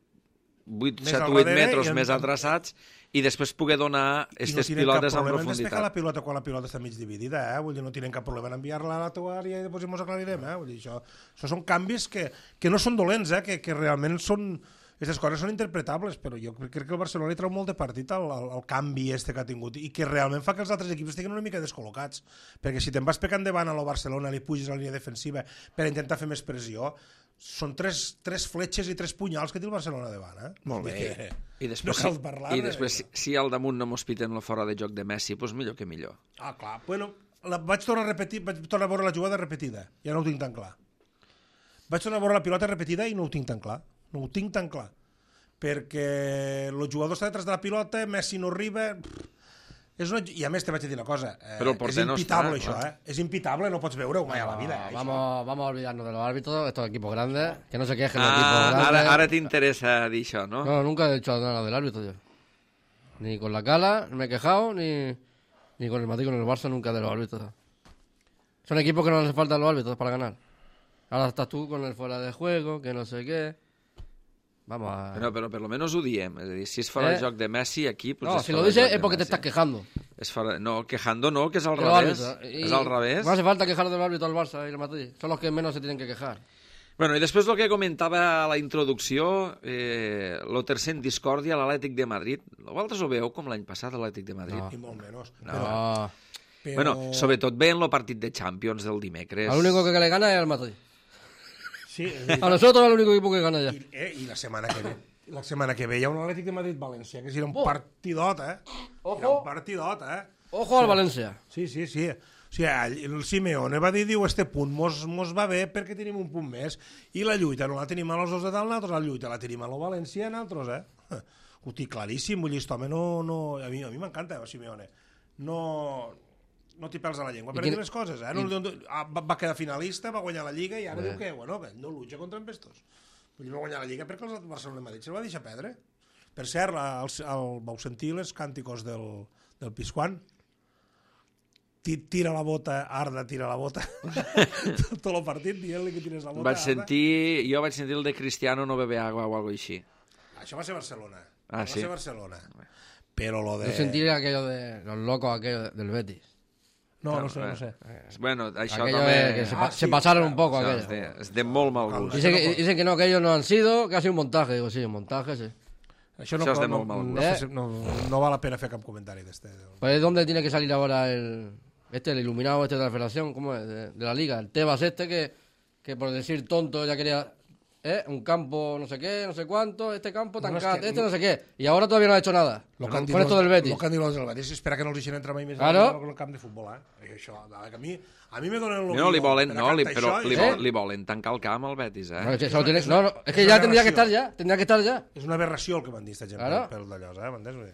7-8 metres més atraçats i després poder donar aquestes pilotes en profunditat. I no tenen cap problema en despejar la pilota quan la pilota està mig dividida, Vull dir, no tenen cap problema en enviar-la a la teua àrea i després ens aclarirem, Vull dir, això són canvis que no són dolents, que realment són... Aquestes coses són interpretables, però jo crec que el Barcelona li treu molt de partit al canvi que ha tingut i que realment fa que els altres equips estiguin una mica descol·locats, perquè si te'n vas pecant endavant a lo Barcelona, li puges a la línia defensiva per intentar fer més pressió, són tres fletxes i 3 punyals que té el Barcelona davant, Molt bé. I després, si al damunt no mos piten la fora de joc de Messi, doncs millor que millor. Clar. Bueno, vaig tornar a veure la jugada repetida, ja no ho tinc tan clar. Vaig tornar a veure la pilota repetida i no ho tinc tan clar. No ho tinc tan clar, perquè el jugador està detrás de la pilota, Messi no arriba... I a més te vaig dir una cosa, és impitable això, és impitable, no pots veure-ho mai a la vida. Vamos a olvidarnos de los árbitros, estos equipos grandes, que no se quejen los equipos grandes. Ara t'interessa dir això, ¿no? No, nunca he dicho nada del árbitro yo. Ni con la Cala me he quejado, ni con el Madrid, con el Barça, nunca de los árbitros. Son equipos que no les faltan los árbitros para ganar. Ahora estás tú con el fuera de juego, que no sé qué... Vamos a... Pero por lo menos ho diem. Es decir, si es fuera de joc de Messi, aquí... Pues no, si lo dices es porque te estás quejando. No, quejando no, que es al revés. Es al revés. No hace falta quejar del árbitro al Barça y el Madrid. Son los que menos se tienen que quejar. Bueno, i després el que comentava a la introducció, el tercer en discòrdia, l'Atlètic de Madrid. Vosaltres ho veu com l'any passat, l'Atlètic de Madrid? I molt menys. No. Però... Bueno, sobretot ve en el partit de Champions del dimecres. Al único que le gana es el Madrid. Sí, A nosotros es el único equipo que gana ya. I la setmana que ve. La setmana que ve hi ha un Atlètic de Madrid-València, que serà un partidot, Ojo. Serà un partidot, Ojo al Valencia. Sí. O sigui, el Simeone va dir, diu, este punt mos va bé perquè tenim un punt més, i la lluita no la tenim a los dos de dalt, nosaltres la lluita la tenim a lo València, nosaltres, Ho tinc claríssim, vull dir, aquest home no... A mi m'encanta, el Simeone. No t'hi pèls a la llengua per dir les coses, va quedar finalista, va guanyar la Lliga, i ara diu que, bueno, que no lucha contra embestos. Vull dir, va guanyar la Lliga perquè el Barcelona i Madrid se'l va deixar perdre. Per cert, vau sentir les cànticos del Pizjuán? Tira la bota, Arda, tira la bota. Tot el partit dient-li que tires la bota. Jo vaig sentir el de Cristiano no bebe agua o algo així. Això va ser Barcelona. Va ser Barcelona. Però lo de... Yo sentí aquello de los locos aquellos del Betis. No sé. Bueno, això Aquello també... que se pasaron un poco Això aquello. és de molt mal gust. Dicen que no, que ellos no han sido, que ha sido un montaje. Digo, sí, un montaje, sí. Això és de molt mal gust. no val la pena fer cap comentari d'este. Pues ¿dónde tiene que salir ahora el iluminado este de la federación? ¿Cómo es? De la liga. El Tebas este que por decir tonto ya quería... un campo no sé qué, no sé cuánto, este campo tan caro, no sé qué. Y ahora todavía no ha hecho nada. Con esto del Betis. Lo que han dit los del Betis, espera que no els deixen entrar mai més Claro. en el camp de futbol, Això, a mi me donen No, li volen tancar el camp al Betis, No, es que ya tendría que estar ya. Tendría que estar ya. És una aberració el que m'han dit, esta gent, Claro. pel d'allò, m'entens?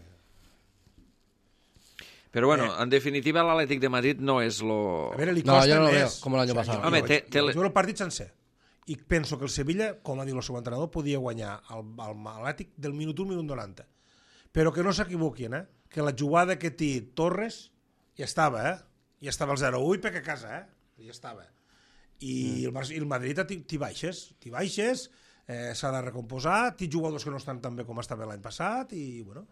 Però bueno, en definitiva l'Atlètic de Madrid no és A veure, li No, costa yo no lo veo més. como el año pasado. Home, Jo el partit sencer. I penso que el Sevilla, com ha dit el seu entrenador, podia guanyar l'Atlètic del minut 1 minut 90. Però que no s'equivoquin, que la jugada que té Torres ja estava, ja estava el 0-1 perquè a casa, ja estava. I el Madrid t'hi baixes, s'ha de recomposar, té jugadors que no estan tan bé com estava l'any passat, i bueno,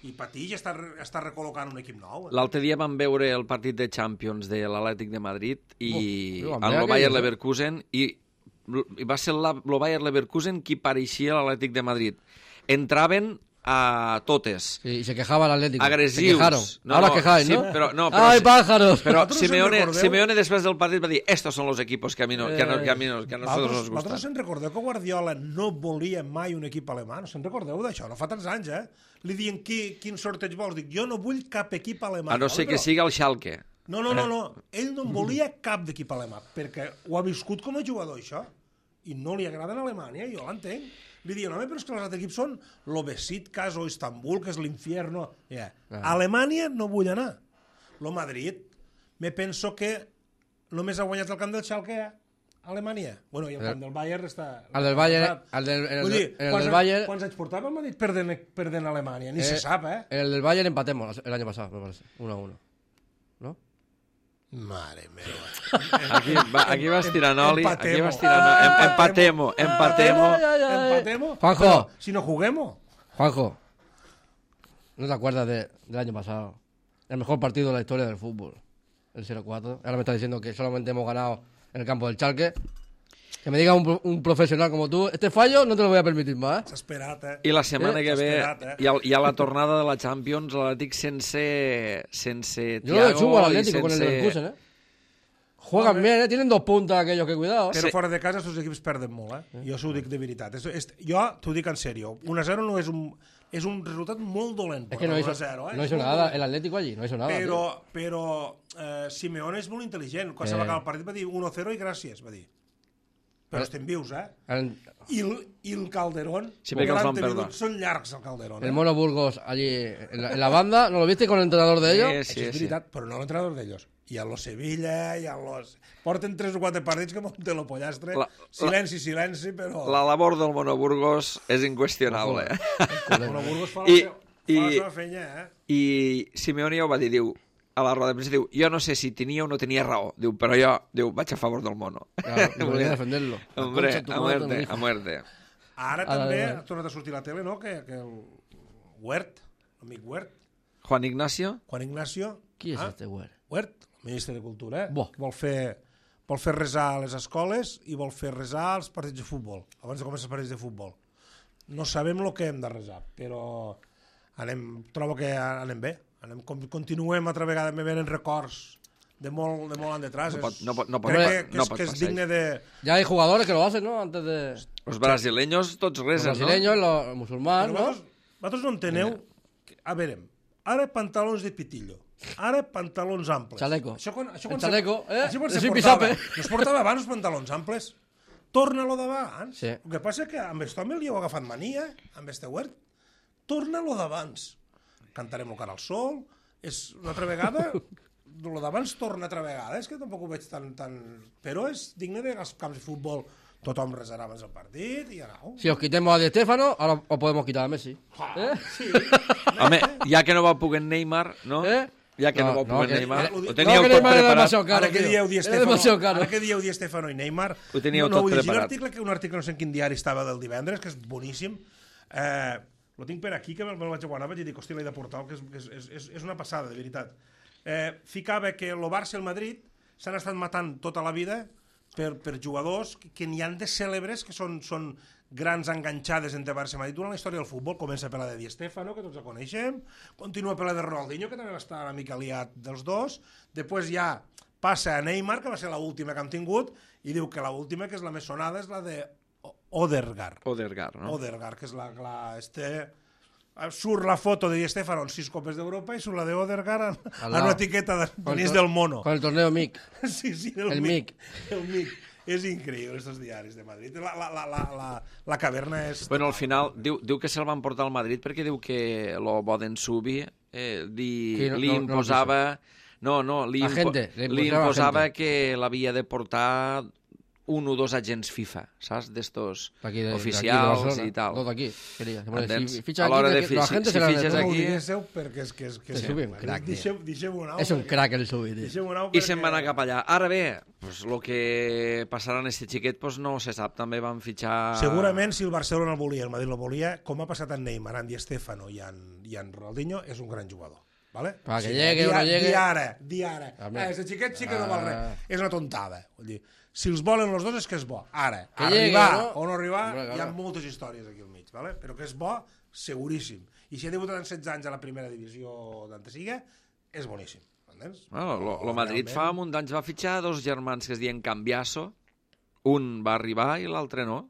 i Patí ja està recol·locant un equip nou. L'altre dia vam veure el partit de Champions de l'Atlètic de Madrid i amb el Bayer Leverkusen i va ser el Bayer Leverkusen qui pareixia l'Atlètic de Madrid. Entraven a totes. Sí, y se quejaba el Atlético. Agressius. Se quejaron. Ahora quejáis, sí, ¿no? Però ¡Ay, pájaros! Però Vosaltres Simeone després del partit va dir estos son los equipos que a nosotros nos gustan. Vosaltres se'n recordeu que Guardiola no volia mai un equip alemà? No se'n recordeu d'això? No fa tants anys, Li diuen quin sorteig vols? Dic, jo no vull cap equip alemà. A no ser que sigui el Schalke. No. Ell no en volia cap d'equip alemà, perquè ho ha viscut com a jugador, això. I no li agrada a Alemanya, jo l'entenc. Li diuen, home, però és que els altres equips són l'Obesiktas o Istanbul, que és l'infierno. A Alemanya no vull anar. Lo Madrid, me penso que només ha guanyat el camp del Schalke a Alemanya. Bueno, i el camp del Bayern està... El del Bayern... Quants anys portava el Madrid perdent a Alemanya? Ni se sap, El del Bayern empatemos el año pasado, me parece. 1-1. ¿No? Mare meva. Aquí vas tirant oli. Empatemo. Juanjo. Pero, si no juguemos. Juanjo, ¿no te acuerdas del año pasado? El mejor partido de la historia del fútbol. El 0-4. Ahora me estás diciendo que solamente hemos ganado en el campo del Schalke. Que me diga un profesional como tú, este fallo no te lo voy a permitir más. S'ha esperat, I la setmana que ve hi ha la tornada de la Champions, l'Atlètic sense Yo lo chupo al Thiago i Atlético con el sense... Leverkusen, Juegan bien, tienen 2 puntas aquellos que cuidado. Però fora de casa els equips perden molt, Jo s'ho dic de veritat. Jo t'ho dic en sèrio. 1-0 no és un resultat molt dolent. Es que no hizo nada el Atlético allí, no hizo nada. Però Simeone és molt intel·ligent. Quan se va acabar el partit va dir 1-0 i gràcies, va dir. Però estem vius, I el Calderón, sí, són llargs, el Calderón. El Mono Burgos allí en la banda, ¿no lo viste con el entrenador de ellos? Sí, és veritat, però no l'entrenador d'ells. I a los Sevilla, i a los... Porten 3 o 4 partits que monten lo pollastre. Silenci, però... La labor del Mono Burgos és inqüestionable. El Mono Burgos fa la seva feina, I Simeone ja ho va dir, diu, a la roda de premsa, diu, jo no sé si tenia o no tenia raó, diu, però jo vaig a favor del Mono. Claro, volia defenderlo. Hombre, a muerte. Ara també ha tornat a sortir a la tele, no?, que el Huert, l'amic Huert, Juan Ignacio. Juan Ignacio... Qui és este Huert? Huert, ministre de Cultura, que vol fer resar a les escoles i vol fer resar als partits de futbol, abans de començar els partits de futbol. No sabem el que hem de resar, però trobo que anem bé. Continuem altra vegada, me venen records de molt en detrás. Crec que és digne de... Ya hay jugadores que lo hacen, ¿no? Antes de... Los brasileños tots Los resen, no? brasileños, los musulmanes, ¿no? Vosaltres no enteneu... A veure, ara pantalons de pitillo, ara pantalons amples. Chaleco. Això quan El chaleco, Això quan se Sin portava. pisape. No es portava abans els pantalons amples. Torna-lo d'abans. Sí. El que passa és que amb aquest home li heu agafat mania, amb este huert. Torna-lo d'abans. Cantarem el cara al sol. És una altra vegada... Lo d'abans torna altra vegada. És que tampoc ho veig tan... Però és digne de als camps de futbol. Tothom resarà abans el partit i anau. Si os quitemos a Di Stéfano, ahora os podemos quitar a Messi. Sí. Home, ja que no va poder Neymar, no? Ja que no va poder Neymar, ho teníeu que tot Neymar era preparat. demasiado caro, Ara que tío. dieu Di Era demasiado caro. Ara que dieu Di Stéfano i Neymar, Ho teníeu no tot vull llegir preparat. un article no sé en quin diari estava del divendres, que és boníssim. Lo tinc per aquí, que me'l vaig guardar, vaig dir, hòstia, l'he de portar, que és una passada, de veritat. Ficava que el Barça i el Madrid s'han estat matant tota la vida per jugadors que n'hi han de cèlebres, que són grans enganxades entre Barça i Madrid durant la història del futbol. Comença per la de Di Stéfano, que tots la coneixem, continua per la de Ronaldinho, que també va estar una mica liat dels dos, després ja passa a Neymar, que va ser l'última que hem tingut, i diu que l'última, que és la més sonada, és la de Odegaard, no? Odegaard, que és surt la foto de Di Stéfano en 6 copes d'Europa i surt la de Odegaard en una etiqueta de Denis del Mono. Con el torneo MIC. Sí, el MIC. El MIC. És increïble, estos diaris de Madrid. La caverna és... Bueno, al final, diu que se'l van portar al Madrid perquè diu que lo Bodensubi li imposava... Li imposava que l'havia de portar un o dos agents FIFA, saps? D'estos oficials i tal. Tot aquí, quería. Si fichas aquí... perquè és que és un crack, deixeu-ho anar. És un crack el Subi, tio. I se'n va anar cap allà. Ara bé, el que passarà en este xiquet no se sap. També van fitxar... Segurament, si el Barcelona el volia, el Madrid el volia, com ha passat en Neymar, en Di Stéfano i en Ronaldinho, és un gran jugador. ¿Vale? Para que llegue o no llegue... Di ara. Este xiquet sí que no val res. És una tontada. Vull dir, si els volen els dos és que és bo. Ara, que arribar llegue, o no arribar, hi ha moltes històries aquí al mig, ¿vale? Però que és bo, seguríssim. I si ha debutat en 16 anys a la primera divisió d'Antesiga, és boníssim. Entens? Lo Madrid fa un d'anys va fitxar dos germans que es diuen Cambiaso. Un va arribar i l'altre no.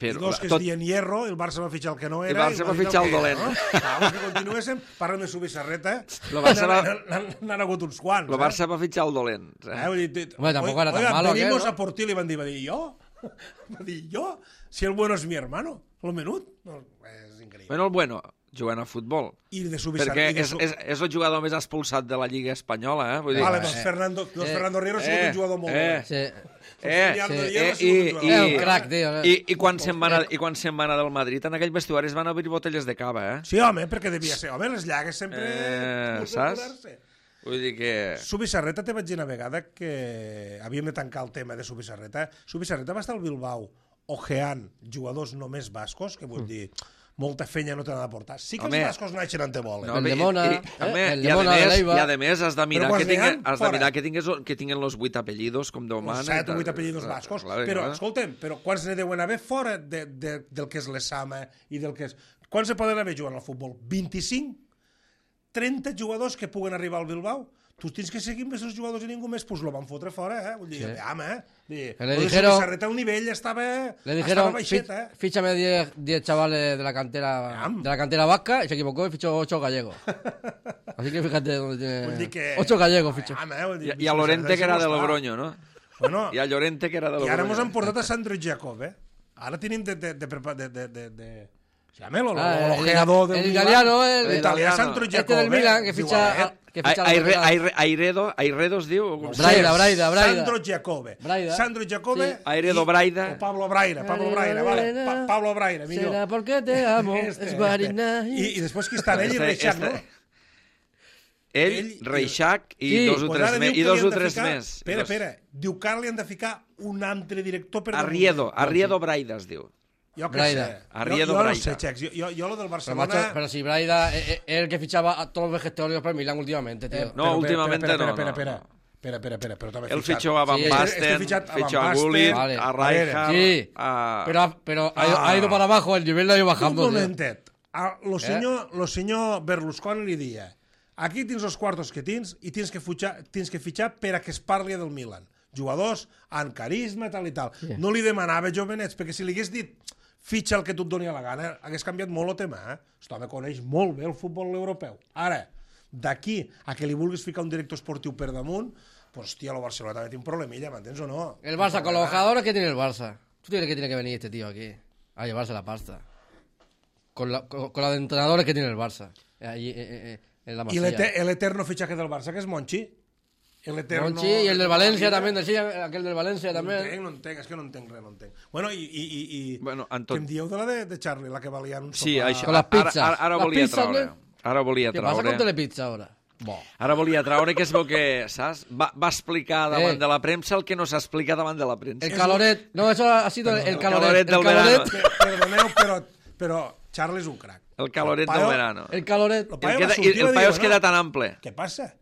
Els dos que es diuen Hierro, el Barça va fitxar el que no era... El Barça va fitxar el dolent. Els que continuéssim, parlen de Subissarreta, n'han hagut uns quants. El Barça va fitxar el dolent. Home, tampoc era tan malo, venimos a por ti, li van dir, ¿yo? Va dir, ¿yo? Si el bueno es mi hermano, lo menut. És increïble. Bueno, el bueno, jugant a futbol. I de Subissareta. Perquè és el jugador més expulsat de la Lliga Espanyola, eh? Vull dir, vale, doncs Fernando Riero ha sigut un jugador molt bo. Sí. un crack, tio. I quan se'n va anar del Madrid, en aquell vestuari es van obrir botelles de cava, eh? Sí, home, perquè devia ser. Home, les llagues sempre... Saps? Vull dir que... Subissareta, te vaig dir una vegada que havíem de tancar el tema de Subissareta. Subissareta va estar al Bilbao ojeant jugadors només bascos, que vull dir... molta fenya no te n'ha de portar. Sí que els bascos naixen on te volen. El de Mona, i a més has de mirar que tinguen los 8 apellidos com Déu mana. 7 o 8 apellidos bascos. Però, escolta'm, quants ne deuen haver fora del que és l'Esama i del que és... Quants se poden haver jugant al futbol? 25? 30 jugadors que puguen arribar al Bilbao? Tu tens que seguir amb els jugadors i ningú més, pues lo van fotre fora, eh? Vull dir, le dijeron... el nivell estava baixet, eh? Fíchame 10 chavales de la cantera vasca, y se equivocó y fichó 8 gallegos. Así que fíjate dónde tiene... 8 gallegos fichó. I a Llorente, que era de Logroño, no? Bueno, I a Llorente, que era de Logroño. I ara ens han portat a Sandro Jacob, eh? Ara tenim de llámelo, l'ojeador del Milan. El italià Sandro Jacob. Este del Milan, que ficha... Airedo es diu? Braida. Sandro Jacobe. Sandro Jacobe Airedo Braida. O Pablo Braira, vale. Pablo Braira, millor. Será porque te amo, es Guarina. I després qui està ell i Reixac, no? Ell, Reixac i dos o tres més. Espera, diu que li han de ficar un altre director per... Arriedo Braida es diu. Jo què sé. Arriedo Braida. No sé, Chex. Jo lo del Barcelona... Pero si Braida es el que fichaba a todos los vegetarios para Milán últimamente, tío. No, últimamente no. Espera. Espera, però també El fitxó a Van Sí, Basten, fitxat a Van fitxó a Basten. Gullit, Vale. a Rijkaard, Sí, a... pero ha ido para abajo, el nivel ha ido bajando. Un tío. momentet. Lo senyor Berlusconi li dia aquí tens els quartos que tens i tens que fitxar per a que es parli del Milan. Jugadors amb carisma, tal i tal. Sí. No li demanava jovenets, perquè si li hagués dit fitxa el que tu et doni la gana, hagués canviat molt el tema. Aquest home coneix molt bé el futbol europeu. Ara, d'aquí a que li vulguis ficar un director esportiu per damunt, pues, hòstia, el Barcelona també té un problemilla, m'entens o no? El Barça, con los jugadores que tiene el Barça. ¿Tú crees que tiene que venir este tío aquí a llevarse la pasta? Con los entrenadores que tiene el Barça. Allí, en la I Masía. el eterno fitxaje del Barça, que és Monchi. El eterno... Monchi y el del Valencia también, decía aquel del Valencia también. No entenc, és que no entenc res, no entenc. Bueno, i Bueno, en què tot... em dieu de la de Charlie, la que valia un Sí, sopar? això, Con las pizzas. ara Las volia pizzas, traure. ¿no? Ara volia ¿Qué pasa con traure. Telepizza ahora? Bo. Ara volia traure que es veu que, saps? Va explicar davant de la premsa el que no s'explica davant de la premsa. El caloret. No, eso ha sido el caloret caloret. del verano. Perdoneu, però Charlie és un crac. El caloret El del paio- verano. El caloret. El paio va I sortir i va el dir, paio es bueno, queda tan ample. Què passa?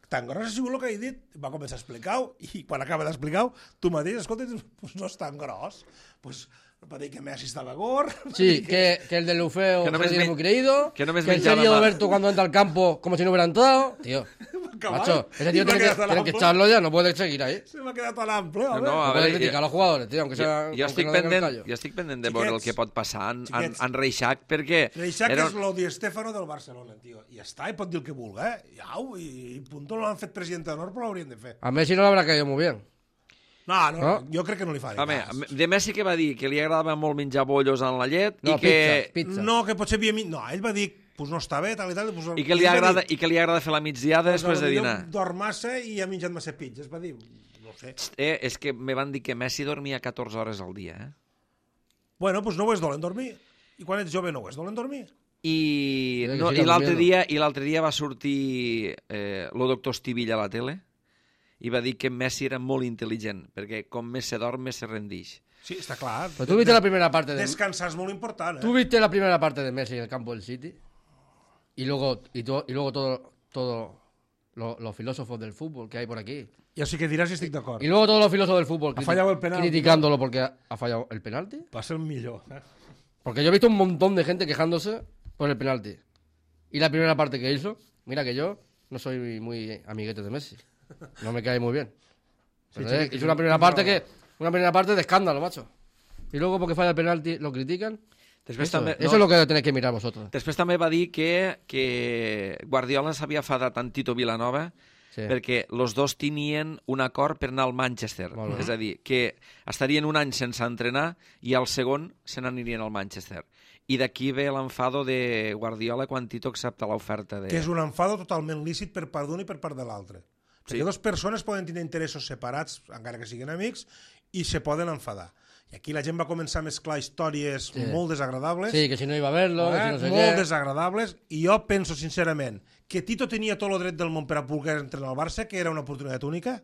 Tan gros ha sigut el que he dit, va començar a explicar-ho, i quan acaba d'explicar-ho, tu mateix, escolta, pues no és tan gros. Pues va dir que Messi estava gordo. Sí, que el del Lufeo Que no me se tiene esme- muy creído. que no me el esmenchaba serio de más. Berto cuando entra al campo como si no hubiera entrado. Tío, macho, ese tío tiene que echarlo ya, no puede seguir ahí. Se m'ha quedat tan ample, home. No, a No puede veure, criticar a los jugadores, tío, aunque sea. jo estic aunque no den el pendent, callo. jo estic pendent de veure el Xiquets, que pot passar xiquets. en Reixac, perquè... Reixac era- és lo Di Stéfano del Barcelona, tio. I ja està, i pot dir el que vulgui, i punto, no l'han fet president d'honor, però l'haurien de fer. A Messi no le habrá caído muy bien. No, jo crec que no li fa ni Home, cas. de Messi que va dir que li agradava molt menjar bollos en la llet No, i que... pizza. No, que potser havia... No, ell va dir, pues no està bé, tal i tal. Pues, I que li agrada fer la migdiada després de dinar. Dorm massa i ha menjat massa pizzas, va dir. No sé. És que me van dir que Messi dormia 14 hores al dia, eh? Bueno, pues no ho és dolent dormir. I quan ets jove no ho és dolent dormir. I, que no, siga i l'altre dia va sortir el doctor Estivilla a la tele i va dir que Messi era molt intel·ligent, perquè com més se dorm, més se rendix. Sí, està clar. Pero tú viste la primera parte de. Descansar és molt important, Tú viste la primera parte de Messi en el campo del City. Y luego todo los filósofos del fútbol que hay por aquí. Ja sí que diràs si estic d'acord. Y luego todos los filósofos del fútbol Ha fallado el penalti. criticándolo porque ha fallado el penalti. Va ser el millor. Porque yo he visto un montón de gente quejándose por el penalti. Y la primera parte que hizo, mira que yo no soy muy amiguete de Messi. No me cae muy bien. Pero sí, hizo una primera parte de escándalo, macho. Y luego porque falla el penalti lo critican. Després Eso, també, eso es lo que tenéis que mirar vosotros. Després també va dir que Guardiola s'havia fadat amb Tito Vilanova Sí. perquè els dos tenien un acord per anar al Manchester. Molt bé. És a dir, que estarien un any sense entrenar i al segon se n'anirien al Manchester. I d'aquí ve l'enfado de Guardiola quan Tito accepta l'oferta de... Que és un enfado totalment lícit per part d'un i per part de l'altre. Sí. Perquè dues persones poden tenir interessos separats, encara que siguin amics, i se poden enfadar. I aquí la gent va començar a mesclar històries molt desagradables, Sí, que si no iba a verlo, que si no sé molt qué. desagradables, i jo penso sincerament que Tito tenia tot el dret del món per a poder entrenar al Barça, que era una oportunitat única,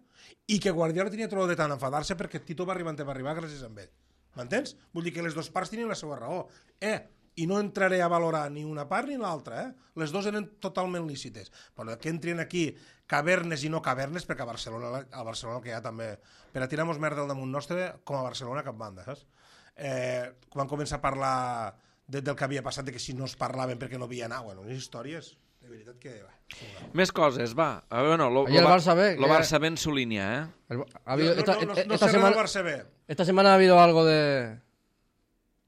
i que Guardiola tenia tot el dret a enfadar-se perquè Tito va arribar on va arribar gràcies a ell. M'entens? Vull dir que les dues parts tenien la seva raó. I no entraré a valorar ni una part ni l'altra, Les dues eren totalment lícites. Però que entrin aquí cavernes i no cavernes, perquè a Barcelona el que hi ha també, per a tirar-nos merda al damunt nostre, com a Barcelona, cap banda, saps? Quan comença a parlar del que havia passat, de que si no es parlaven perquè no havia anat, bueno, unes històries, de veritat que... Més coses, va. Bueno, Ayer el Barça B, lo Barça B en su línia, eh? Ha habido, No esta sé res semana, del Barça B. esta semana ha habido algo de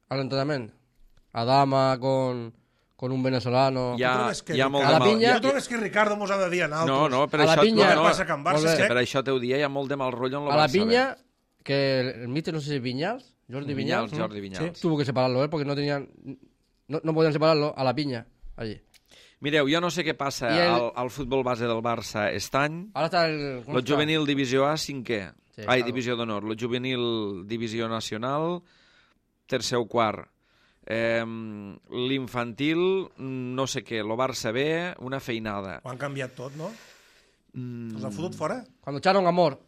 al entrenamiento. Adama con un venezolano. Hi ha, trobes que hi ha molt a de la mal... pinya- No trobes que Ricardo mos ha de dir a No, nosaltres? no, per A la això... pinya- no, Què passa que en Barça Molt és bé. que... per això t'ho dia, hi ha molt de mal rotllo en lo A la Barça B. piña, que el míster, no sé si Viñals, Jordi Viñals, Jordi Vinyals. tuvo que separarlo, porque no tenían, no podían separarlo a la piña, allí. Mireu, jo no sé què passa I el- al futbol base del Barça aquest any. Ahora está el... ¿cómo Lo está? juvenil divisió A, cinquè. Sí, Ai, claro. divisió d'honor. Lo juvenil divisió nacional, tercer o quart. L'infantil, no sé què. Lo Barça B, una feinada. Ho han canviat tot, no? Els han fotut fora? Cuando echaron Amor.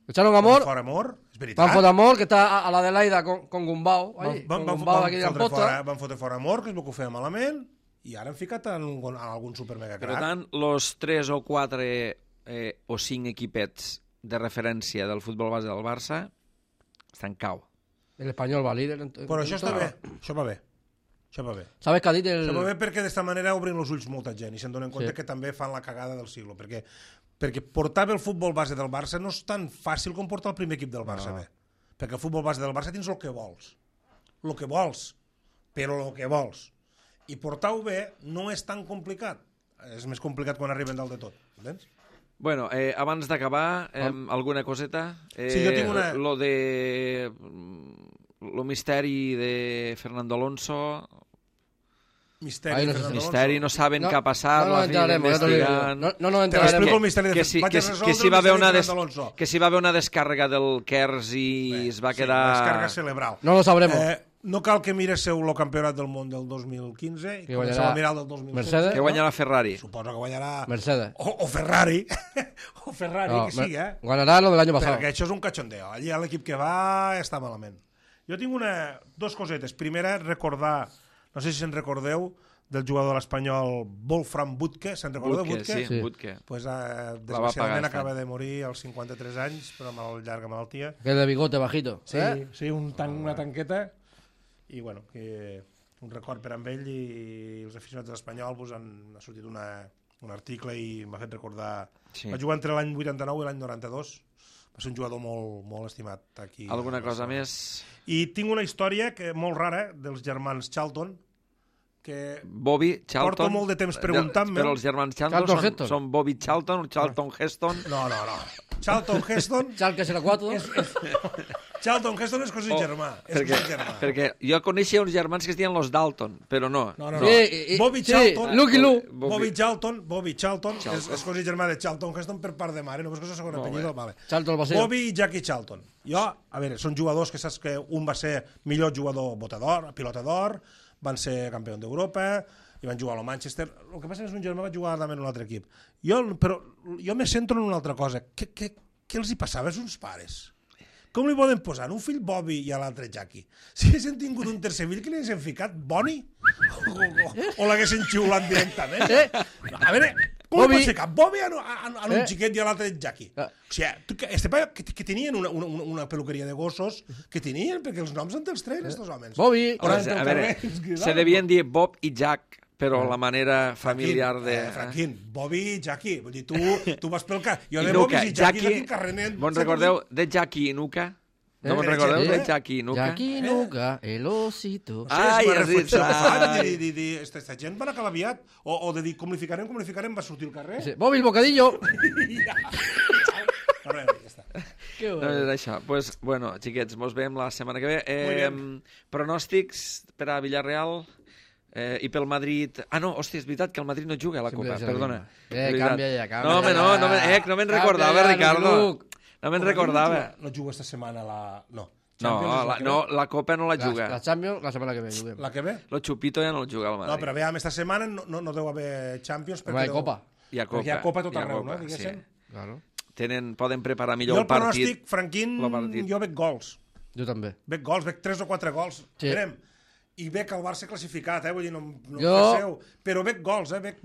Echaron Amor, Fora amor, és veritat. van por Amor, que está a la Adelaida con Gumbau, allí, con Gumbau aquí de Amposta. Van fotre fora amor, que és el que ho feia malament, i ara han ficat en algun super mega Per crac. tant, los 3 o 4 o 5 equipets de referència del futbol base del Barça està en cau. El Espanyol va líder. Però això està bé, això va bé. Això va bé. ¿Sabes qué ha dit el...? Això va bé perquè d'esta manera obrin els ulls molta gent i se'n donen compte que també fan la cagada del siglo, perquè portar bé el futbol base del Barça no és tan fàcil com portar el primer equip del Barça bé. Perquè el futbol base del Barça tens el que vols. El que vols, però el que vols. I portar-ho bé no és tan complicat. És més complicat quan arriben dalt de tot, entens? Bueno, abans d'acabar, alguna coseta? Sí, jo tinc una... Lo misteri de Fernando Alonso... Misteri, misteri, no saben què ha passat, la fi investigant... No Te l'explico el misteri de que si va haver una descàrrega del Kers i es va quedar... descàrrega cerebral. No lo sabremos. No cal que miresseu el campionat del món del 2015 i comenceu a mirar el del 2016. Mercedes, que guanyarà Ferrari. Suposo que guanyarà... Mercedes. O Ferrari. O Ferrari, No, que sigui, Guanyarà lo del año pasado. Perquè això és un cachondeo. Allí l'equip que va està malament. Jo tinc dos cosetes. Primera, recordar, no sé si se'n recordeu, del jugador espanyol Wolfram Butke. Se'n recordeu de Butke? Sí, Butke. Pues, desgraciadament acaba de morir als 53 anys per una llarga malaltia. Que de bigote bajito. Sí, sí, una tanqueta. I bueno, que un record per amb ell, i els aficionats de l'Espanyol pues, ha sortit un article i m'ha fet recordar... Sí. Va jugar entre l'any 89 i l'any 92. Va ser un jugador molt estimat aquí. Alguna cosa més? I tinc una història molt rara dels germans Charlton, que Bobby Charlton. Porto molt de temps preguntant-me. Però els germans Charlton són Bobby Charlton o Charlton Heston? No. Charlton Heston... Charlton 04. Charlton Heston és cosí germà. Perquè jo coneixia uns germans que es diuen los Dalton, però no. Sí, Bobby Charlton... Lucky Lu. Bobby Charlton és cosí germà de Charlton Heston per part de mare, només que és el segon apellido. Vale. Bobby i Jackie Charlton. A veure, són jugadors que saps que un va ser millor jugador pilota d'or, van ser campió d'Europa i van jugar a Manchester. El que passa és que un germà va jugar en un altre equip. Però jo me centro en una altra cosa. Què els hi passava als uns pares? Com li poden posar un fill Bobby i a l'altre Jackie? Si haguessin tingut un tercer fill, que li haguessin ficat Bonnie? O l'haguessin xiulat directament? A veure, com pot ser que Bobby a un xiquet i a l'altre Jackie? O sigui, que tenien una peluqueria de gossos, que tenien, perquè els noms han dels tres, estos homes. Bobby. A veure, se devien dir Bob i Jack, però la manera familiar de... Franquín, Bobby i Jackie. Vull dir, tu vas pel carrer... Jo de Bobby i Jackie d'aquí carrenent... Bon recordeu de Jackie i Nuka? No me'n recordeu de Jackie i Nuka? Jackie i Nuka, el osito. Ai, és dir, esta gent van acabar aviat. O de dir, com li ficarem, va sortir al carrer. Bobby el bocadillo. Ja està. No és això. Pues, bueno, xiquets, mos veiem la setmana que ve. Pronòstics per a Villarreal... i pel Madrid... no, hòstia, és veritat que el Madrid no juga a la Copa, perdona. Canvia ja. No me'n recordava, Ricardo. No me'n recordava. No juga esta setmana la... No, la Copa no la juga. La Champions, la setmana que ve juguem. La que ve? Lo Chupito ja no el juga al Madrid. No, però veiem, esta setmana no deu haver Champions. Hi ha Copa. Hi ha Copa. Hi ha Copa tot arreu, no? Diguéssim. Claro. Poden preparar millor el partit. Jo el pronòstic, Franquín, jo veig gols. Jo també. Veig 3 o 4 gols. Verem. I veig el Barça classificat, vull dir, no jo... però veig gols, veig,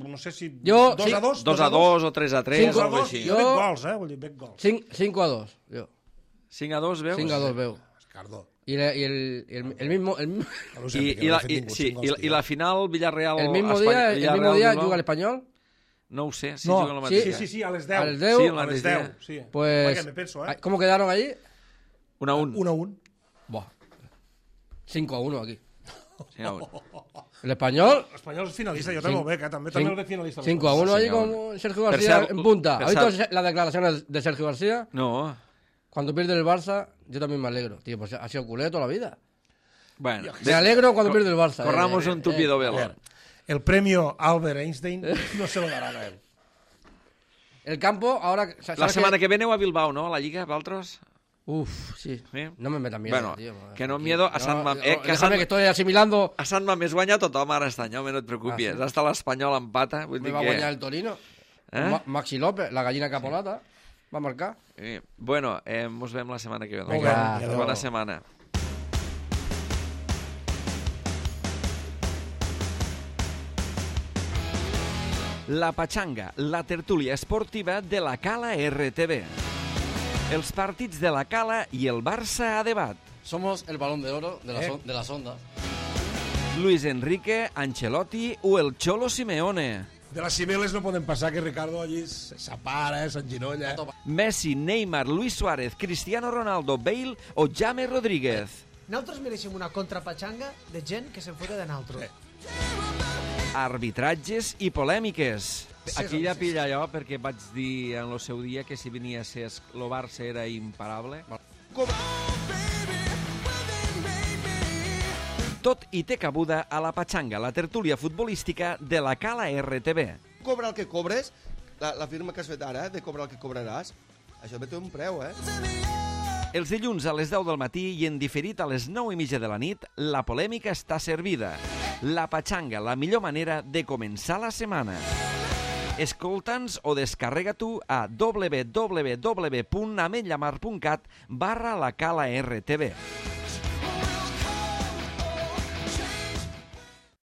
no sé si... 2-2 o 3-3 o alguna cosa. Jo veig gols, vull dir, veig gols. 5-2, jo. 5-2 veus? 5-2 veu. Escardo. Y el mismo... Y la final, Villarreal... El mismo día juga el Español. No ho sé, si juga el mateix. Sí, a les 10. A les 10? Sí, a les 10, sí. Pues... me penso, ¿Cómo quedaron allí? 1-1. 1-1. Buah. 5-1 aquí. 5-1. El Español... El Español es finalista, yo también lo veo, también el de finalista. 5-1 allí con Sergio García en punta. ¿Has visto las declaraciones de Sergio García? No. Cuando pierde el Barça, yo también me alegro. Tío, pues ha sido culé toda la vida. Bueno. Me alegro cuando pierde el Barça. Corramos un tupido velo. El premio Albert Einstein no se lo darán a él. El campo, ahora... La setmana que ve aneu a Bilbao, no? A la Lliga, vosaltres? Uf, sí. No me metan miedo, bueno, tío. Que no miedo a Sant Mamés. Déjame que estoy asimilando... A Sant Mamés guanya tothom ara este any, no et preocupis. Hasta l'Espanyol empata. Me va a guanyar el Torino. Maxi López, la gallina capolata, va a marcar. Bueno, mos veiem la setmana que ve. Bona setmana. La Pachanga, la tertúlia esportiva de la Cala RTV. Els partits de la Cala i el Barça a debat. Somos el balón de oro de las ondas. Luis Enrique, Ancelotti o el Cholo Simeone. De les cimeles no poden passar que Ricardo allí s'apara, s'enginolla. Messi, Neymar, Luis Suárez, Cristiano Ronaldo, Bale o James Rodríguez. Nosaltres mereixem una contrapatxanga de gent que se'n fota de nosaltres. Arbitratges i polèmiques. Aquí ja pilla jo, perquè vaig dir en el seu dia que si venia a ser el Barça era imparable. Tot i té cabuda a la Patxanga, la tertúlia futbolística de la Cala RTV. Cobra el que cobres, la firma que has fet ara, de cobrar el que cobraràs, això també té un preu, Els dilluns a les 10 del matí i en diferit a les 9:30 de la nit, la polèmica està servida. La Patxanga, la millor manera de començar la setmana. Escolta'ns o descarrega tu a www.ametllamar.cat/la Cala RTV.